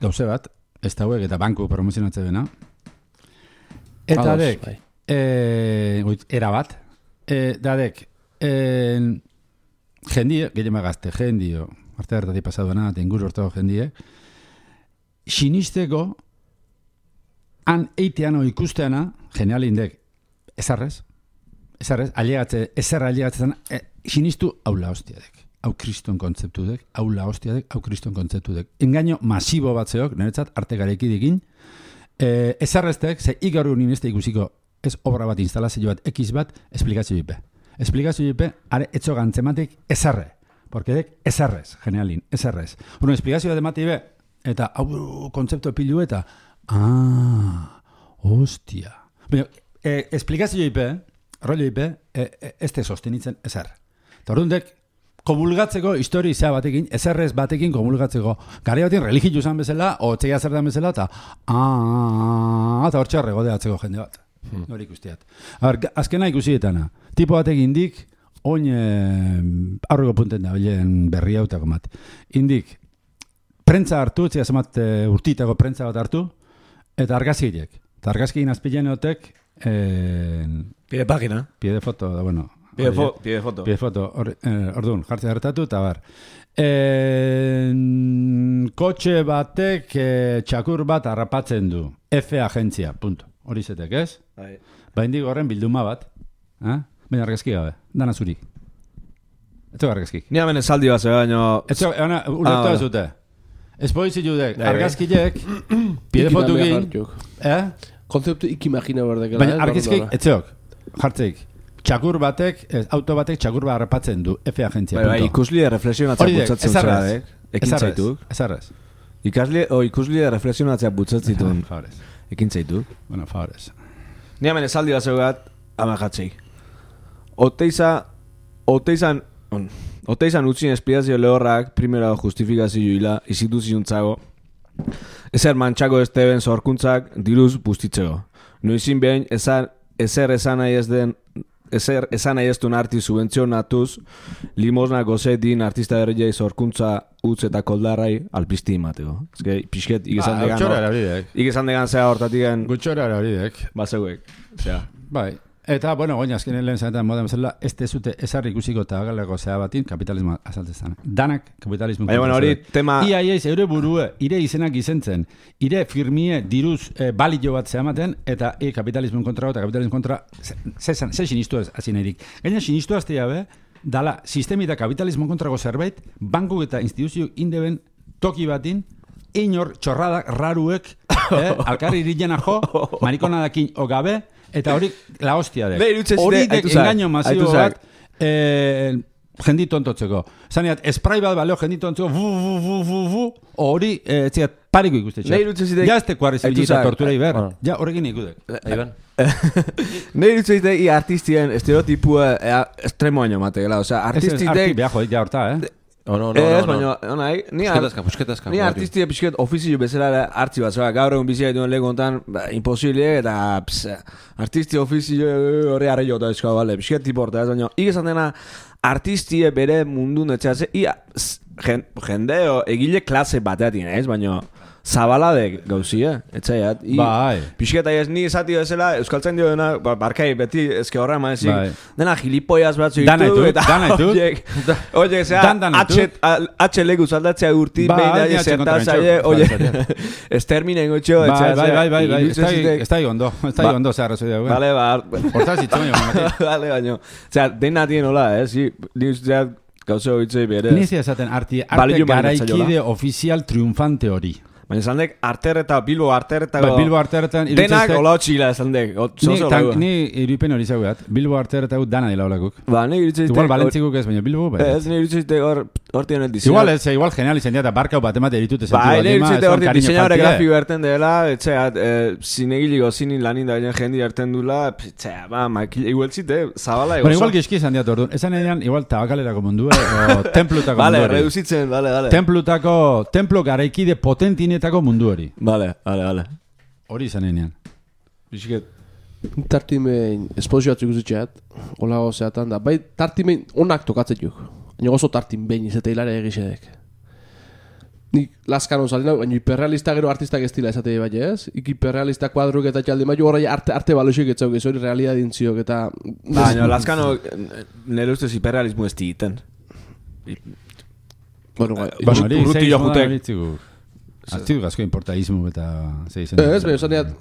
gauze bat, ez da huek eta banku promozionatze bena. Eta dek, eh, era bat, eh, da dek, eh, jendie, gehien magazte, jendio, arte hartatik pasaduena, eta inguru hortago jendie, sinisteko, han eiteano ikusteana, genial indek, ezarrez, ezarrez, aliagatze, ezarra aliagatzen, e, sinistu aula hostiadek, hau kriston kontzeptu dek, aula hostiadek, hau kriston kontzeptu dek. Engaino masibo batzeok, niretzat, arte gareki dikin, e, ezarreztek, ze igaru nineste ikusiko, ez obra bat, instalazio bat, ekiz bat, esplikazio jipe. Esplikazio jipe, are etxo gantzematik ezarre, porque dek ezarrez, genialin, ezarrez. Bueno, esplikazio bat emati be, eta hau kontzeptu epilu eta, ah, hostia. Baina, e, esplikazio jipe, rollo ipe, e, e, ez te sostenitzen ezer. Eta orduan komulgatzeko histori izea batekin, ezerrez batekin komulgatzeko. Gari batean religio zan bezala, o txeia zer dan bezala, eta aaa, eta hor txarre godeatzeko jende bat. Hmm. Hori ikustiat. Azkena ikusietana, tipo batekin indik, oin e, aurreko punten da, bilen berri hautako mat. Indik, prentza hartu, txea zemat e, urtitako prentza bat hartu, eta argazkiek. Eta argazkiek azpilean egotek, Eh, pide página. Pide foto, da, bueno. Pide, fo, pide foto. Pide foto. Or, eh, orduan, jartze hartatu, eta bar. Eh, kotxe batek eh, txakur bat harrapatzen du. F agentzia, punto. Hori zetek, ez? Bai. Ba, indik horren bilduma bat. Eh? Baina argazki gabe, dana zuri. Etzo argazkik. Ni hemen esaldi bat zebe, baina... Etzo, eana, ulertu ah, zute. Ez poizi judek, argazkilek, pide fotukin, eh? Konzeptu ikimagina berdek. Baina argizkik, etzeok, jartzeik, txakur batek, ez, auto batek txakur bat harrapatzen du, F agentzia. Bai, bai, ikusli de reflexionatzea butzatzen zera, dek. Ekin zaituk. Ezarrez. Ikasli, o ikusli de reflexionatzea butzatzitun. Favorez. Ekin zaituk. Bueno, favorez. Ni hemen esaldi bat zeugat, ama jatzei. Oteiza, oteizan, on, oteizan utzin espiazio lehorrak, primera justifikazio hila, instituziontzago, ezer mantxako esteben zorkuntzak diruz bustitzeko. Noizin behin ezer, ezer esan nahi ez den ezer esan nahi ez duen arti subentzionatuz limosna goze din artista berriai zorkuntza utz eta koldarrai alpizti imateko. Ez que pixket ikizan degan hor. Ikizan degan zea hortatik gutxora erabideek. Bazeuek. Osea. Bai. Eta, bueno, goina azkenen lehen zanetan moda bezala, ez tezute ezarri ikusiko eta galeko zea batin kapitalismoa azaltzezan. Danak kapitalismo. Baina, bueno, hori tema... Ia, ia, eure burue, ire izenak izentzen, ire firmie diruz e, balio bat zehamaten, eta e, kapitalismoen kontra eta kapitalismoen kontra, ze, ze, ze sinistu ez, hasi nahirik. Gaina sinistu azte jabe, dala, sistemi eta kapitalismoen kontrako zerbait, banku eta instituzio indeben toki batin, inor txorradak raruek, eh, alkarri iriena jo, marikonadakin o gabe, eta hori la hostia dek. Hori dek engaño masibo bat eh, jendi tontotzeko. Zaneat, esprai bat baleo jendi tontotzeko, vu, vu, vu, vu, vu, hori, eh, etziat, pariko ikustetxe. Ja ez teko arrezibilita tortura iber. Ja, horrekin ikudek. Iban. Nei dut zeite, i artistien estereotipua estremoaino mategela. Osea, artistik... Arti behajo, ja horta, eh? Oh, no, no, ez, no, baina, no. Nahi, ni, pusketazka, pusketazka, ni artistia pixket ofizio bezala hartzi bat, zoa, gaur egun bizia dituen lehen kontan, ba, imposible, eta ps, artistia ofizio horre arre jota ezkoa, bale, pixket tiporta, ez, baina, ikizan dena, artistie bere mundun etxeatze, ia, jendeo, egile klase bateatin, ez, baina, zabaladek gauzia, etxaiat. Bai. Pixketa ez ni esati bezala, euskaltzen dio dena, ba, barkai beti ezke horra eman ezik, Bai. dena gilipoiaz batzu Dana ditu, ditut, dana ditut. oiek, oiek, zera, Dan, dan ditut. H leku zaldatzea urti, Bai, behin da, ni atxe kontra zertazaile, mentxok, oie, bai, ez terminen gotxo, Bai, bai, bai, bai, bai, ez da- ez da ondo, ez da Ba- ondo zehar arrazoi dago. Vale, ba, Hortaz itzen jo, vale, baino. Osea, dena tien hola, eh, si, ni usteat gauza hoitzei bere. Nizia esaten arte, arte Balio garaikide mainatzailola. ofizial triunfante hori. Baina esan dek, arter eta Bilbo arter eta... Ba, Bilbo arteretan Denak hola txila esan dek. Ni, tan, ni irupen hori zaugat. Bilbo arteretan dana dela holakuk. Ba, ni irutzeitek... Igual Valentzikuk ez, baina Bilbo, bai. Ez, ni irutzeitek hor, horti honet diseña. Igual ez, igual genial izan dira, eta barkau bat emate ditute Ba, sentidu ni irutzeitek horti diseñadore faltie. grafiko erten dela, etxeat, eh, zinegiliko zinin lanin da baina jendi erten dula, etxea, ba, makil, igual zite, zabala Bueno, egozo. igual gizki izan diat orduan. Esan edean, igual tabakalerako mundua, o templutako Vale, mundu hori. reduzitzen, vale, vale. Templutako, templo garaikide potentinetako mundu hori. Vale, vale, vale. Hori izan edean. Bisket. Tartimein esposio batzuk uzitxeat, hola gozeatan da. Bai, tartimein onak tokatzen juk. Baina oso tartin behin izate hilare egixedek. Nik laskano salina, baina hiperrealista gero artistak ez dila esate bai ez? Ik hiperrealista kuadruk eta txaldi maio horrei arte, arte baloxik etzauk ez hori realidadin ziok eta... Baina, Lazkano, nire ustez hiperrealismo ez digiten. Bueno, bai, Baina hori, urruti zei jo moda jutek. hori txigu. Aztigu gazko importaismo eta zei zen. ez, baina esan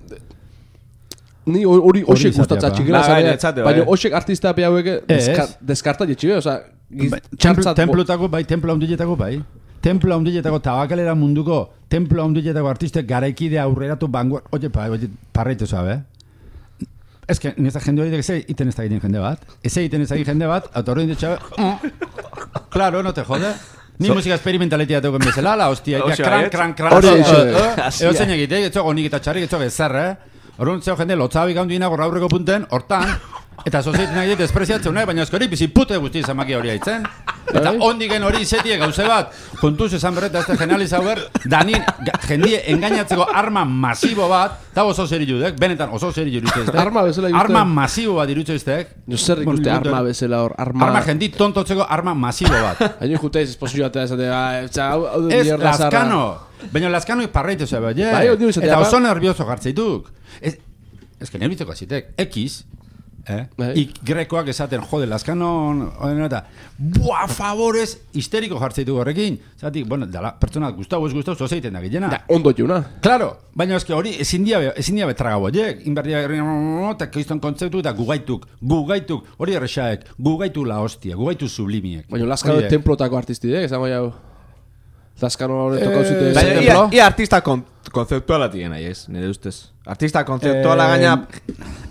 ni hori hoxek izatea, gustatza ba. txikela Ba, esan baina, dut, etzate, baina bai. hoxek artista be hauek Ez. deskarta jetxibe, oza, Bai, Templo, templotako bai, templo handiletako bai. Templo handiletako tabakalera munduko, templo handiletako artistek garaikide aurreratu banguar, oye, pa, oye, parreitu zabe. Ez que, nesta jende hori eze iten ez da egiten jende bat. Eze iten ez da egiten jende bat, eta horrein ditxabe, claro, no te jode. Ni So- musika experimentaletia teuken bezala, la hostia, ja, Hoxe kran, baiet. kran, kran, Hori eh, dixe. eh, Hasia. eo zein egite, etxo gonik eta txarrik, etxo bezer, eh? Horren zeo jende, lotzabik handuina gorra aurreko punten, hortan, eta sozieten nahi despreziatzen nahi, baina eskori bizi pute guzti izamaki hori haitzen. Eta ondigen hori izetie gauze bat, kontuz esan berreta ez da generaliza ber, danin, ga- jendie engainatzeko arma masibo bat, eta oso zeri judek, benetan oso zeri judek. Arma bezala ikusten. Arma masibo bat irutze iztek. Jo zer ikuste arma bezala hor, arma... Arma jendi tontotzeko arma masibo bat. Haino juteiz esposio batea esate, hau hau du Ez mierda zarra. Lazkano. Baina Lazkano parreitu zebe, oie. Bai, hori izatea, Eta ba. oso nervioso jartzeituk. Ez, ez que nervioso azitek. X, eh? Bai. Ik grekoak esaten, jode, Lazkano, oden eta, buah, favorez, histeriko jartzeituk horrekin. Zatik, bueno, dala, pertsona gustau ez gustau, zozeiten da gillena. Da, ondo juna. Claro, baina eske hori ezin dia ezin dia betraga boiek, inberdia eta kriston kontzeptu eta gugaituk, gugaituk, hori erresaek, gugaitu la hostia, gugaitu sublimiek. Baina Lazkano Horiek. templotako artistidek, esango jau. Lazkano hori tokau zite Baina, zen ia, templo. ia artista kon, konzeptuala tien nahi ez, nire ustez. Artista konzeptuala Eh, gaina,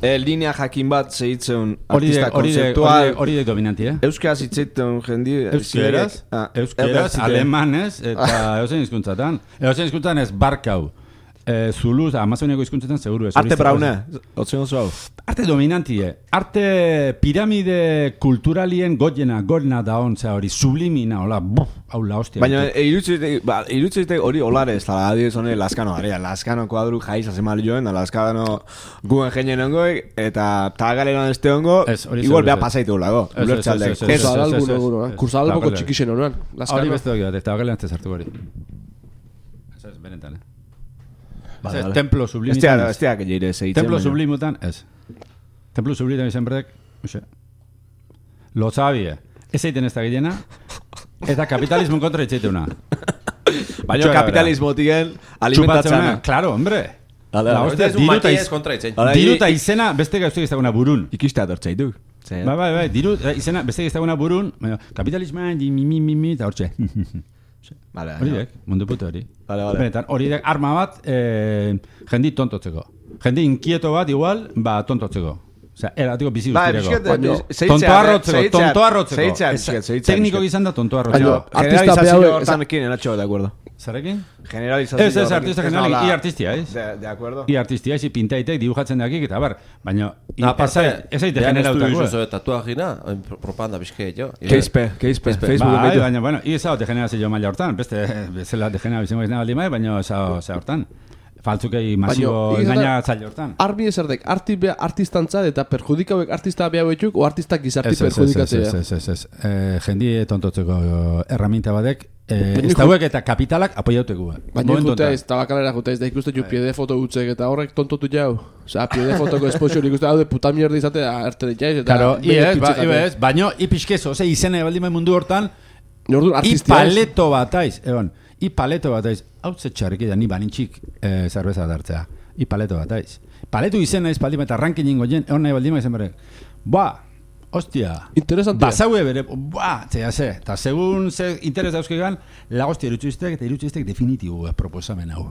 eh, linea jakin bat zehitzen Hori de, artista hori de, hori de, konzeptual. hori de dominanti, eh? Euskaraz hitzeiten jendi... Euskeraz, Ah, euskeraz, erdatzite. alemanez, eta eozein hizkuntzatan. Eozein hizkuntzatan ez barkau. Eh, Zuluz, amazoniako hizkuntzetan seguru ez. Arte braune, otzen oso hau. Arte dominantie. Arte piramide kulturalien goiena, gorena da ontzea hori, sublimina, hola, buf, hau la hostia. Baina e, irutzeitek, ba, irutzeitek hori olare ez da, adiez hone Lazkano garea, Lazkano kuadru jaiz azemal joen, da Lazkano guen jenien ongoik, eta tagaleran este ongo, Ez, hori igual seguru beha ez. pasaitu lago, Ez, ez, ulertzaldek. ez, ez, Ez, ez, adalgun ez, ez. eguno, eh? Kursadalboko Tabakalera. txikixen honean. Hori Lazkano. beste dut, eta bakalean ez sartu hori. Ez ez, benetan, eh? Vale, Ez, vale. templo Ez sublimitan tia, ez tia, gehiire zehitzen. Templo baina. sublimutan, ez. Templo sublimutan izan berdek, oxe, lotzabie, ez egiten ez da gilena, eta kapitalismo kontra itzeiteuna. Baina kapitalismotiken alimentatzena. Claro, hombre. Dale, La dale. hostia, Ez un diru eta matiez iz- kontra itzen. Hala, diru i- eta izena beste gauztik ez daguna burun. Ikistea dortzaitu. Bai, bai, bai, diru eta izena beste ez daguna burun, baina kapitalismoan, di, mi, mi, mi, mi, eta hortxe. Vale, Hori dek, mundu puto hori. Vale, vale. Benetan, hori dek arma bat, eh, jendi tontotzeko. Jendi inkieto bat igual, ba, tontotzeko. Osea, eratiko bizi Ba, guztireko. pixkat, Baina, zehitzea, Tontoa arrotzeko, zehitzea, tontoa arrotzeko. zehitzea, Ez- pixkat, zehitzea, Tekniko pixkat. gizan da tontoa Baina, arrotzeko. artista Generalizazio behau- hortan ekin enatxo, de acuerdo. Zarekin? Generalizazio Ez, ez, horrekin. artista Ez generalik, nola- i artistia, ez? De, de acuerdo. I artistia, ez, pintaitek, dibujatzen dakik, eta bar, baina, i- Aparte, ez aite ja generautako. Ez du izuzo tatuagina, propaganda bizke jo. Keizpe, keizpe, Facebooken Bai, behitu. baina, bueno, i ezao degenerazio maila hortan, beste, bezala degenerazio maila baldin bai, baina ezao ze hortan. Faltzukei masibo Baina, engaina zaila hortan. Arbi ezerdek, arti be, artistantzat eta perjudikauek artista behauetuk, o artistak gizarti Ez, ez, ez, ez, perjudikatzea. ez, ez, ez, ez. Eh, jendi tontotzeko erraminta badek, Eh, ez dauek eta kapitalak apoiauteko. Baina juteiz, tabakalera juteiz, da ikuste ju piede foto gutzek eta horrek tontotu jau. Osea, piede fotoko esposio ikuste hau de puta mierda izate arte jaiz eta... Claro, iez, ba, iez, baina ipizkezo, ose, izene baldin mundu hortan, i paleto bataiz, egon, i paleto bataiz, hau zetxarrik da, ni banintxik eh, zerbeza bat hartzea, i paleto bataiz. Paletu izena ez baldin eta rankin jingo jen, egon nahi baldin izan berek, ba, hostia, interesantia. Basaue bere, ba, zea ze, eta segun ze interes dauzkegan, lagostia irutxiztek eta irutxiztek definitibo proposamen hau.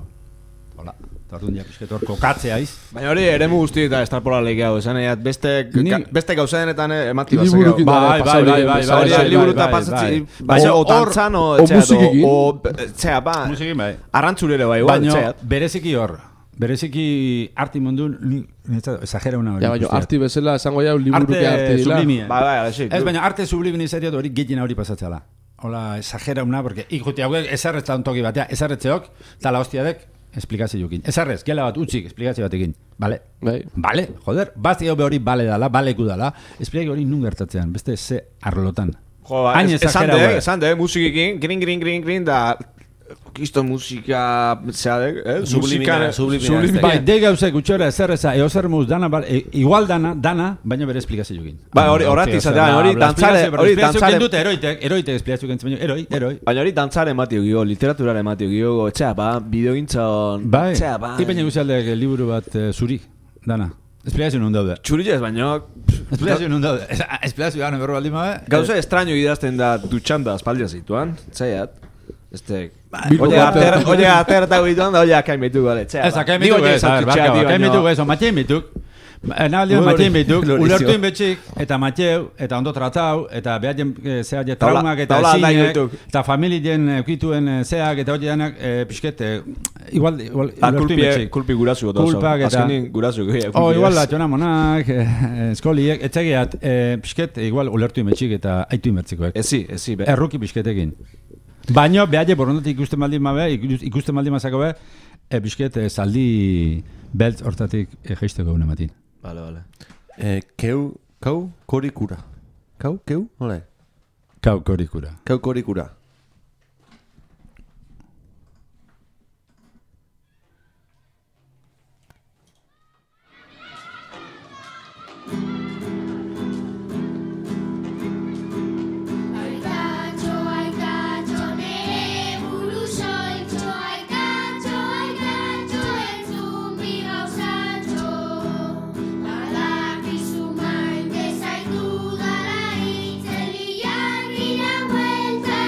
Hola, tartun ja pixketor kokatzea iz. Baina hori eremu guzti eta estarpolalek hau, esan egin, beste, Ni- beste gauza denetan emati bazak hau. Liburukin Bai, da, bai, pasau bai, hori, bai, pasau bai, hori, bai, Liburuta bai, pasatzi, bai. baina O- o dantzan o, o etxea, musikekin. o, txea, ba, Musikin bai. arrantzurere bai, igual, Baina etxea. bereziki hor, bereziki arti mundun, ni, niretzat, exagera una hori. Ja, baina, guztia. arti bezala esango jau liburuke arte Arte dila. sublimia. Bai, bai, alexik. Ez, baina arte sublimin izatea hori gehien hori pasatzela. Hola, exagera una, porque ikuti hauek ezarrez toki batea, ezarretzeok, eta la hostiadek, esplikazioekin. Ezarrez, gela bat utzik, esplikazio batekin. Bale? Bai. Bale, joder, bazti hau hori bale dala, baleku dala, esplikazio hori nun gertatzean, beste ze arlotan. Jo, ba, Hain es- esan exagera de, hue. esan de, musikikin, grin, grin, grin, grin, da, kisto musika, zeadek, eh? Sublimina, sublimina. sublimina. Bai, de gauzek utxora ezerreza, eozer muz dana, bal, e, igual dana, dana, baina bere esplikazioekin. Bai, hori- horretik izatea, hori dantzare- hori dantzare- dute eroitek, eroitek esplikazio kentzen, baina eroi, eroi. Baina hori dantzaren ematio gio, literaturaren ematio gio, etxea, ba, bideogintzon, Bai, etxea, ba. ipeina guztialdeak liburu bat eh, zuri, dana. Esplikazio nun daude. Txurilez, baina, Esplikazio nun daude. Esplikazio gano berro baldin babe. gauza estraño idazten da dutxan da espaldia zituan, zaiat. Este, Bilbo oye, bater- ater, oye, aterta guituan da, oie, akain behitu gale, etxea. Ez, akain mituk ez, a ver, barka, akain mituk ez, matxein mituk. Nabaldion Hori- matxein mituk, hori ulertu zio. inbetxik, eta matxeu, eta ondo tratau, eta behaien zehaien Taula- traumak eta taula aldai ezinek, dituk. eta familien eukituen eh, zeak, eta hori denak, eh, pixket, eh, igual, igual, Ah, ulertu kulpi, inbetxik. kulpi gurasu goto oso. Kulpak eta- Azkenin gurasu gure. Oh, igual, latxona monak, eh, eskoliek, etxegeat, eh, pixket, igual, ulertu inbetxik eta aitu inbertzikoek. Ezi, ezi, be. Erruki pixketekin. Baina, behaile borondatik ikusten baldin mabe, ikus- ikusten baldin mazako be, e, pixket, e, zaldi beltz hortatik e, jeisteko gune matin. Vale, vale. Eh, keu, kau, korikura. Kau, keu, nola? Kau korikura. Kau, korikura. Aikatxo, aikatxo, nere burusoitxo, aikatxo, aikatxo, entzun bi gauzatxo. Badakizu maite zaitu dala itzelian gira huelta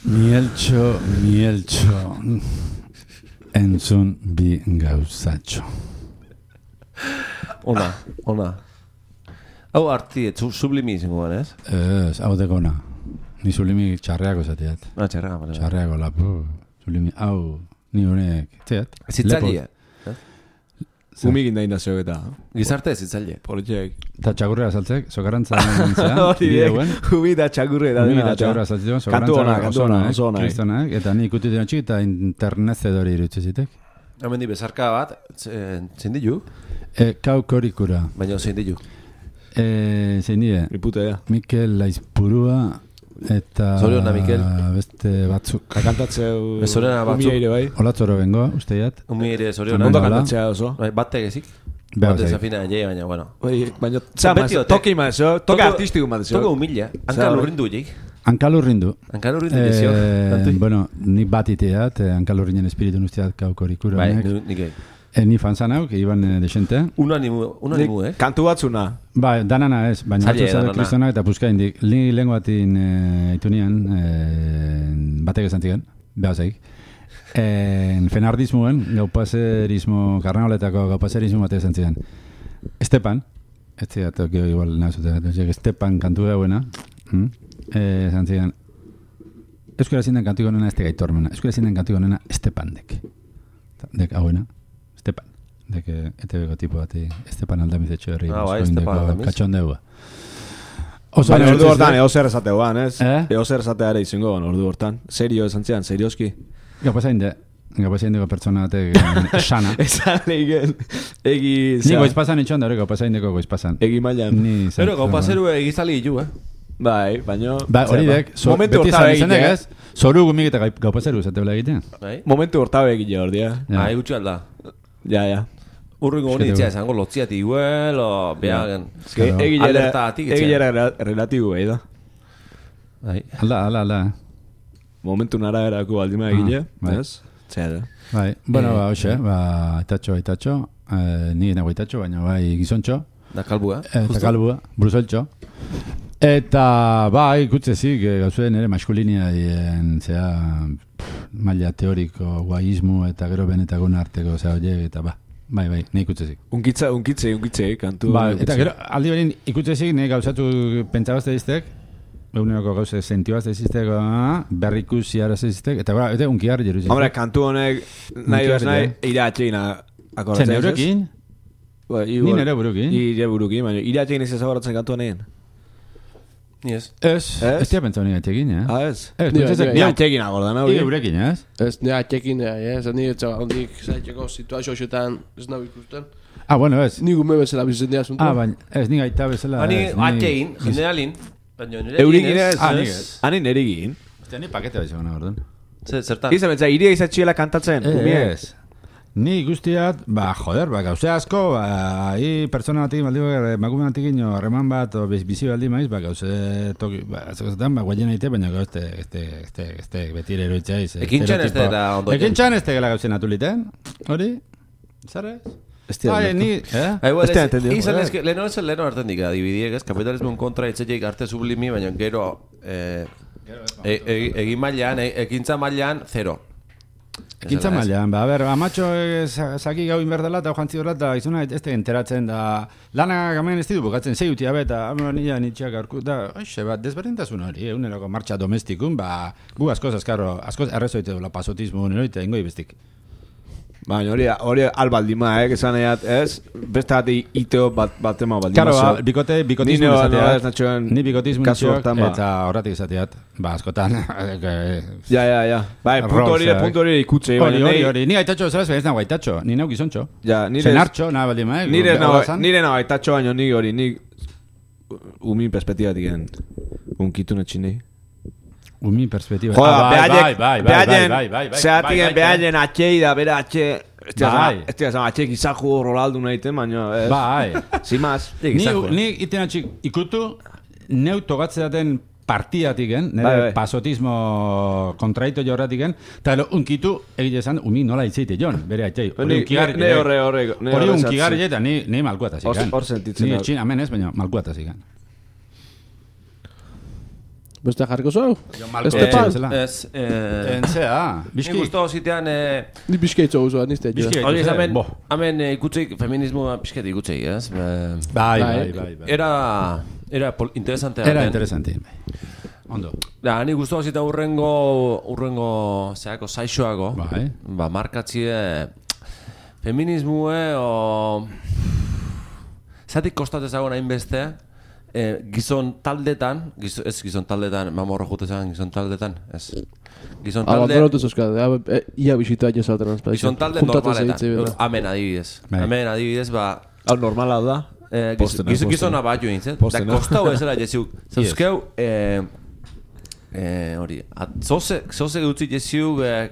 Mieltxo, mieltxo, entzun bi gauzatxo. Ona, ona. Hau arti, zu, sublimi izangoan, ez? Ez, hau dekona. Ni sublimi txarreako zateat. Ah, txarraga, bale. Txarreako lapu. Sublimi, hau, ni honek, zeat. Zitzalia. Umikin da indazio eta. Gizarte zitzalia. Politxeak. Eta txagurrea saltzek, sokarantza nintzea. Hori dek, umi da txagurre da Umi dena. da txagurrea saltzeko, Kantu ona, kantu ona, oso ona. kristonak, eta ni ikutu dira txik, eta internezedori irutzi zitek. Hemen di bezarka bat, zein ditu? E, kau korikura. Baina zein ditu? E, zein die, Ipute da. Mikel Laizpurua, eta Zoriona, Mikel. beste batzuk. Kakantatzeu Zoriona batzuk. umia ere bai. Olatzoro bengoa, usteiat. Umi ere zoriona. Ondo Hala. kantatzea oso. Bai, Bate gezik. Behar Bate zaik. zafina jai, baina, bueno. Bai, baina, zama, Beti ote. toki mazo, toki artistiko mazo. Toko humila. Hanka Zer, lurrindu jik. Hankalurrindu. Hanka lurrindu dizio. Eh, bueno, ni bat iteat, eh, hankalurrinen espiritu usteat kau korikura. Bai, honek. ni- nik egin. Eh, ni fanzan hau, que iban eh, desente. Unanimu, unanimu, eh? Kantu batzuna. Ba, danana ez, baina Zaila, batzu zabe danana. kristona eta puska indik. Ni lehen batin e, itunian, e, batek esan ziren, behar zaik. E, fenardismoen, gaupaserismo, karnaoletako gaupaserismo batek esan ziren. Estepan, ez zidat, gero igual nahazute, Estepan kantu dauena, mm? e, esan ziren, euskara zinden kantu gonena ez te gaitormena, euskara zinden kantu gonena Estepan dek. Dek hauena, Estepan. Dek E T B-ko tipo bati, Estepan Aldamizetxo herri. Ah, bai, Estepan Aldamiz. Katxondeua. Oso Baina ondo ordu iritsi hortan, zitek. eo zer esateu ban, ez? Eh? Eo zer esatea ere izango ban, ordu hortan. Serio esan zian, serioski. Gapazain de, gapazain deko pertsona batek eh, sana. Esan egin, egi... Ni zera, goizpazan itxon da hori gapazain deko goizpazan. Egi mailan. Ni Pero gaupa zeru egizali ditu, eh? Bai, baina... Ba, hori zera, dek, so, momentu beti hortabe izan izanek egitea. ez, zoru gumik eta gai- gaupazeru zate bela egiten. Bai? Momentu hortabe egitea hor dia. Ja. Ah, gutxi alda. Ja, ja. Urringo honi Eskete itzia gu. esango lotziati iguel, o behagen. Eske, Claro. egilera, Alertatik etxean. egilera rela- relatibo bai da. Bai. Alda, alda, alda. Momentu nara erako baldima egile, bai. ez? Zera. Bai, bueno, Eh, ba, hoxe, ba, itatxo, itatxo, eh, ni nago itatxo, baina bai gizontxo, Da kalbua, eta kalbua, bruseltxo. Eta, bai, ikutzezik, eh, gauzuen ere maskulinia dien, zera, pff, maila teoriko, guaismo eta gero benetakon arteko, zera, oie, eta ba, bai, bai, ni ikutzezik. Unkitza, unkitze, unkitze, kantu. Ba, unkitze. eta gero, aldi berin ikutzezik, ne gauzatu pentsabazte diztek, eguneroko gauze sentibazte diztek, ah, berrikusi arazte diztek, eta ba, eta unkiar jeru ziztek. Hombre, kantu honek, nahi bez nahi, iratxein akordatzen. Zen eurekin, Ba, ni igual, nere burukin. Nire burukin, baina iratxein ez ezagoratzen kantu honean. Ni ez. Ez, Ez? ez tia pentsa honi gaitekin, eh? Ah, ez? Ez, Ni- pentsatzen, ni- ni Iratxekin agordan, hau. Ige eurekin, ez? Ez, nea txekin, ez, ni etxa ondik zaitzeko situazio xoetan ez nago ikusten. Ah, bueno, ez. Ni gume bezala bizitzen dira asunto. Ah, baina, ez, ni gaita bezala. Hani ez, ni- atxein, generalin. Baina nire Eurikin ez, Ah, nik ez? ez. Hani nerigin. Ostia, ni pakete bat izan orduan. Zer- Zertan? Izan betza, iria izatxiela kantatzen, umie. Ez. Ni guztiat, ba, joder, ba, gauze asko, ba, hi pertsona batik, baldi bat, emakume batik ino, harreman bat, o biz- bizi baldi maiz, ba, gauze toki, ba, askotan, ba, guaien aite, baina gau, este, este, este, este, betire eroitzea iz. Ekintxan ez dela ondo egin. Ekintxan ez dela gauzen atuliten, hori? Zare? Ez dira Bai, ulertu. ni, eh? Ah, igual, Ez te ez- entendido. izan ez, que leheno ez leheno hartzen dika, dibidiek, ez, kapitalismoen kontra etxetik arte sublimi, baina gero, eh, e- e- egin mailan, e- ekintza mailan, zero. Ekintza mailan, ba, a ber, amatxo eh, za- zaki gau inberdela eta joan zidorla eta izuna ez te enteratzen da lana gamen ez ditu bukatzen zei utia beta, amo nila nitxeak aurku, da, oixe, bat, desberdintasun hori, eguneroko martxa domestikun, ba, gu askoz, azkarro, askoz errezoite dula pasotismo neroite, ingoi bestik. Baina hori, hori albaldima, eh, esan eat, ez? Beste bat iteo bat, bat ema baldima. Karo, ba, zo. bikote, bikotismo Ni no- no ez izateat, natxoen ni bikotismo kasu nitxeak, hortan, ba. eta horratik izateat, ba, askotan, eh, Ja, ja, ja. Bai, punto hori, Roseak. punto hori ikutze. hori, baina hori, nei- hori, ni gaitatxo bezala ez nago gaitatxo, ni nau gizontxo. Ja, nire... Zenartxo, nahi baldin maek. Nire behar nago, bazan. nire nago aitatxo baino nik hori, nik... Umin perspektibatik gen. Unkitu netxin Umi perspektiba. Joda, Ah, bai, behaien, bai, bai, bai, behaien, bai, bai, bai, zeatigen bai, bai, behaien atxei da, bera atxe... Ez dira Bai. zama- ez dira zama, atxe gizajo Ronaldo nahiten, baina... ez. Bai. Sin más. Ni, ni iten atxik ikutu, neu togatzeaten partiatiken, nire Bai, bai. pasotismo kontraito jorratiken, eta ero unkitu egite esan, umi nola itzeite jon, bere atxei. Ni- ne horre, horre, ne Hori horre unkigarri sartzen. eta ni, ni malkuatazik. Hor- hor sentitzen Ni da. etxin amen ez, baina malkuatazik. Beste jarriko zau? Malko Este Eh, pan. bezala. Ez, eh... Entzea, Ni biski. guztu zitean, eh... Ni bizkaitzo guzoa, nizte. Bizkai. Hori, Ikusi, hemen, bo. hemen eh, ikutzeik, feminismoa pixket ikutzeik, ez? Eh, Bai, Bai. bai, bai, bai. Era... Era pol- interesantea. Era den. interesante. Ondo. Da, ni guztu zita urrengo... Urrengo... Zeako, saixoago. Bai. Ba, markatzie... Feminismue, o... Zatik kostatez dago nahin beste... Eh, gizon taldetan, gizo, ez gizon taldetan, mamorro jutezan gizon taldetan, ez. Gizon talde, Abandonatu zeuskade, eh, ia bisita jazaten. gizon talde normaletan, amen adibidez. Bai. Amen adibidez, ba, Hau normala da. eh, giz, Postena, giz, postena. gizona bat join, zet? Da, Postena. kostau ezela jeziuk. Zauzkeu, eh, eh, hori, at, zoze, zoze gutzi jeziuk, eh,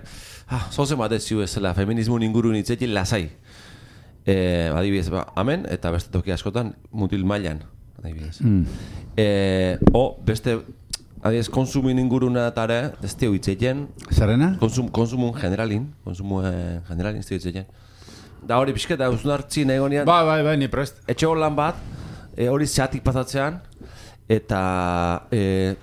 ah, zoze bat jeziuk ezela, feminismo inguru nitzetik lasai. Eh, adibidez, ba, amen, eta beste toki askotan, mutil mailan, adibidez. Mm. Eh, o, beste, adibidez, konsumin inguruna tare, ez teo hitzeien, Zerrena? konsum, konsumun generalin, konsumu eh, generalin ez teo hitzeien. Da hori pixket, da uzun hartzin egonean, Bai, bai, bai, ni prest. etxe lan bat, eh, hori zeatik pasatzean, eta... Eh,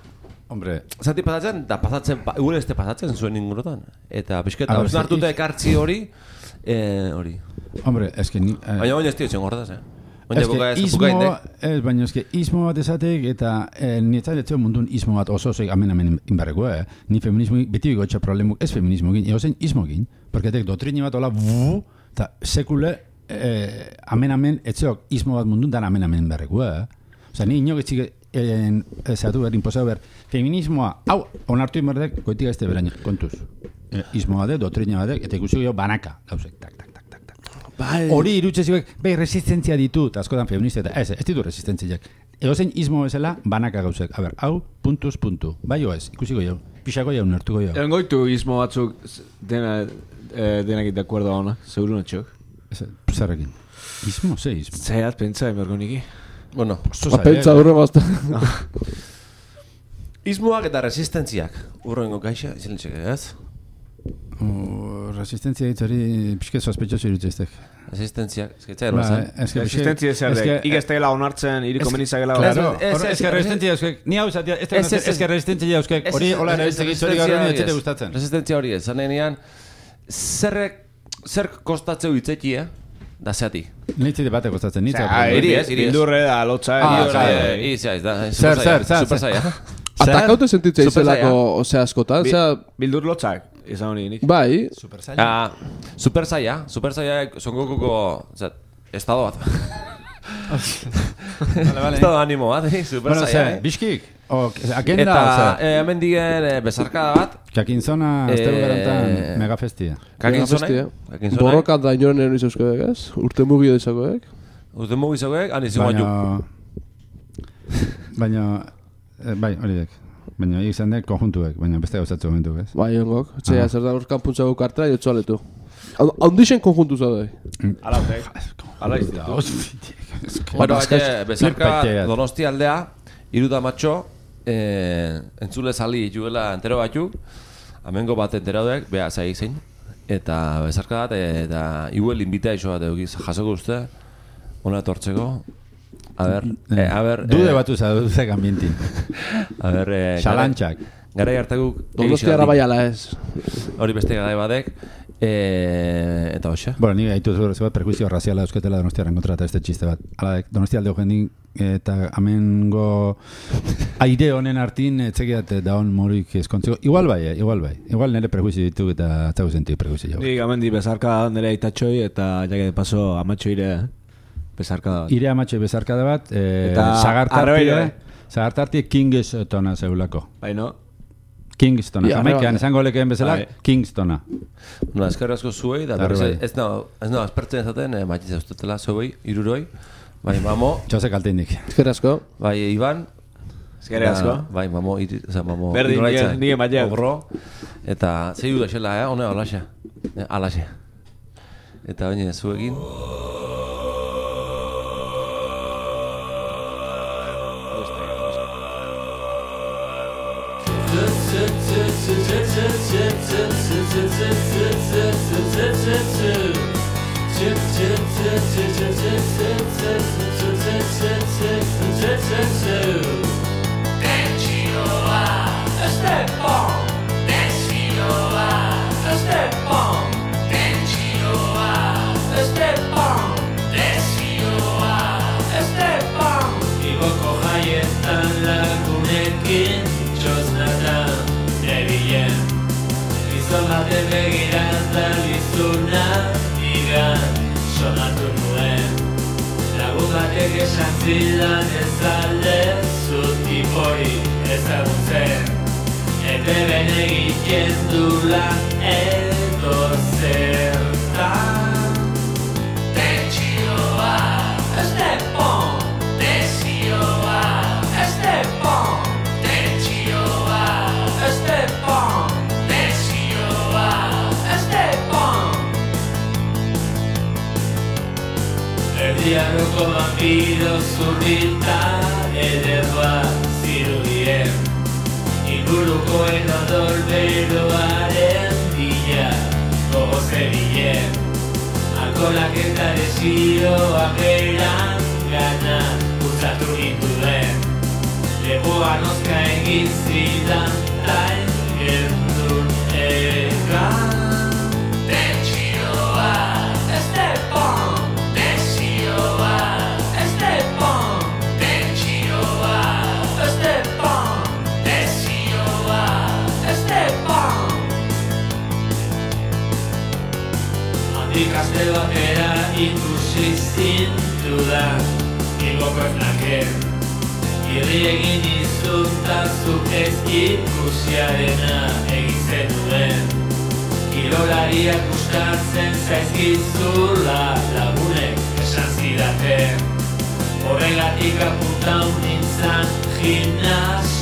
Hombre, Zati pasatzen, da pasatzen, pa, gure este pasatzen zuen ingurutan. Eta pixket, A da ber, uzun hartuta ze- ekartzi hori, eh, hori. hombre, eske ni... eh, Baina oin ez tio zen gordaz, eh? Oin eske buka ez ismo, bukainde. ez, baina eske ismo bat esatek eta eh, nietzat etzeo mundun ismo bat oso oso amen amen inbarreko, eh? Ni feminismo beti bigotxa problemuk ez feminismo gin, egozen ismo gin, porque tek doktrini bat hola, bu, eta sekule eh, amen amen etzeok ismo bat mundun dan amen amen inbarreko, eh? Osa, ni inok etxik en, ezatu behar, imposau behar, feminismoa, hau, onartu inbardek, goitik ez beraino, kontuz. Eh, ismoa de, doktrina batek, eta ikusi jo banaka, gauzek, tak, tak, tak, tak, tak. Bai. Hori irutxezioek, bai, resistentzia ditu, eta askotan feminista, eta ez, ez ditu resistentziak. Egozein ismo bezala, banaka gauzek. A ber, hau, puntuz, puntu. Bai o ez, ikusiko jau. Pixako jau, nertuko jau. Egon goitu ismo batzuk dena, eh, denakit de acuerdo ona, seguro natxok. Ez, zerrekin. Ismo, ze ismo? Zaiat pentsa emergo niki. Bueno, Oso Ba, zaila, pentsa eh? durre bazta. ismoak eta resistentziak. Urrengo gaixa, izan txeke, ez? Uh, resistentzia hitz hori pixket sospetxoso irutzeztek. Resistentziak, ez que Ba, zen. eske Resistentzia pixket- zer eske- dek. Ik ez tegela onartzen, iriko menizagela. Claro, Ez, hor- ez, eske ez, resistentzia euskek, ni hau zatea, ez Ez, ez, ez. eske resistentzia euskek, hori hola erabiltzen gitzori gaur hori etxete gustatzen. Resistentzia hori ez, zanean, zerrek, zer kostatzeu hitzeki, eh? Da zeati. Nitzi bate gustatzen, nitzi. Osea, Iri ez, iri ez. Bildurre da, lotza. Ah, iri, bai, osea, bai. Iri ez, da, Zer, zer, zer, super zer. zaila. Atakaute sentitzea Super izelako, zaila. osea, askotan, Bi- osea, Bildur lotzak, izan honi nik. bai, Super zaila. Ah, super zaila, super zaila, son gokuko, o estado bat. Vale, vale. Estado animo bat, eh? Super Bueno, zaila, ze, eh? biskik, o, agenda, Eta, oza, eh, hemen digen eh, bezarkada bat, kakinzona, Eh, aztero garantan, megafestia. kakinzonai, kakinzonai, borroka da inoren eron izauskoek, ez? Urte mugi dezakoek. uste mugizoek, han izan bat Baina, baina, eh, bai, hori dek. Baina, izan dek konjuntuek, baina beste gauzatzu momentu, ez? Bai, ongok. Aha. Txea, zer da horkan puntzago kartela, jotzu aletu. Haundixen konjuntu zaudai. Ala, ok. Ala izti. Bueno, baina, bezarka Flipaitea. Donosti aldea, iruda matxo, eh, entzule sali juela entero batu, amengo bat enteradek, beha zai zein, eta bezarka bat, eta iguel invita iso bat eukiz, jasoko uste, ona etortzeko, a ber, eh, a ber, Dude eh, batu zauduzek ambientin. a ber, eh, Xalantxak. Garai hartakuk, Donosti ara bai ala ez. hori beste garai badek, eh, eta hoxe. Bueno, ni gaitu zure bat perkuizio raziala eusketela Donostiaren kontra eta este txiste bat. Hala, Donostia alde jendin eta amengo aire honen artin etzekiat daun morik eskontzeko. Igual bai, eh, igual bai. Igual nire perkuizio ditu eta atzau senti perkuizio jau. Nik amendi bezarka nire aitatxoi eta jake de paso amatxoire bezarka da. Ire amatxe bezarkada bat, eh, Eta zagartartie, arrebei, zagartartie Kingstona zeulako. Baina, Kingstona, Ja, Jamaikan arreba. esango lekeen bezala, Bai. Kingstona. No, eskerrik asko zuei, da Arre berriz bai. ez no, ez no, aspertzen ezaten, eh, matitza ustetela zuei, iruroi, bai, mamo, Txose kalteinik. Ezker asko. bai, Iban, eskerrik asko. Da, bai, mamo, iri, oza, mamo, Berdin, irolaitza, nire- nire baiak. Ogro, eta zeiu da xela, eh, hone alaxe, eh, alaxe. Eta baina zuekin, Then you are baten begirata bizuna digan sonatu nuen. Lagun batek esan zidan ez alde zutipori ezagutzen. Ete bene egiten dula edo zertan. Tentsioa, Estepon, tensioa, Estepon, tentsioa, Estepon, tensioa, Estepon. Erdiarroko vampiro zurrita ederra zirudien. Ingurukoen odolberoaren bila gogozerien. Alkolak eta desioa beran gana utzatu ninduen. Lepoan oska egin zidan tain gendun egan. Tentsioa, Estepon, tensioa, Estepon, tentsioa, Estepon, tensioa, Estepon. Ikaste batera ikusi zintudan Bilboko esnaken Irri egin izuntazu ez ikusiarena egin zenuen Kirolariak gustatzen zaizkizula lagunek esan zidaten Horregatik apuntau nintzan gimnasioa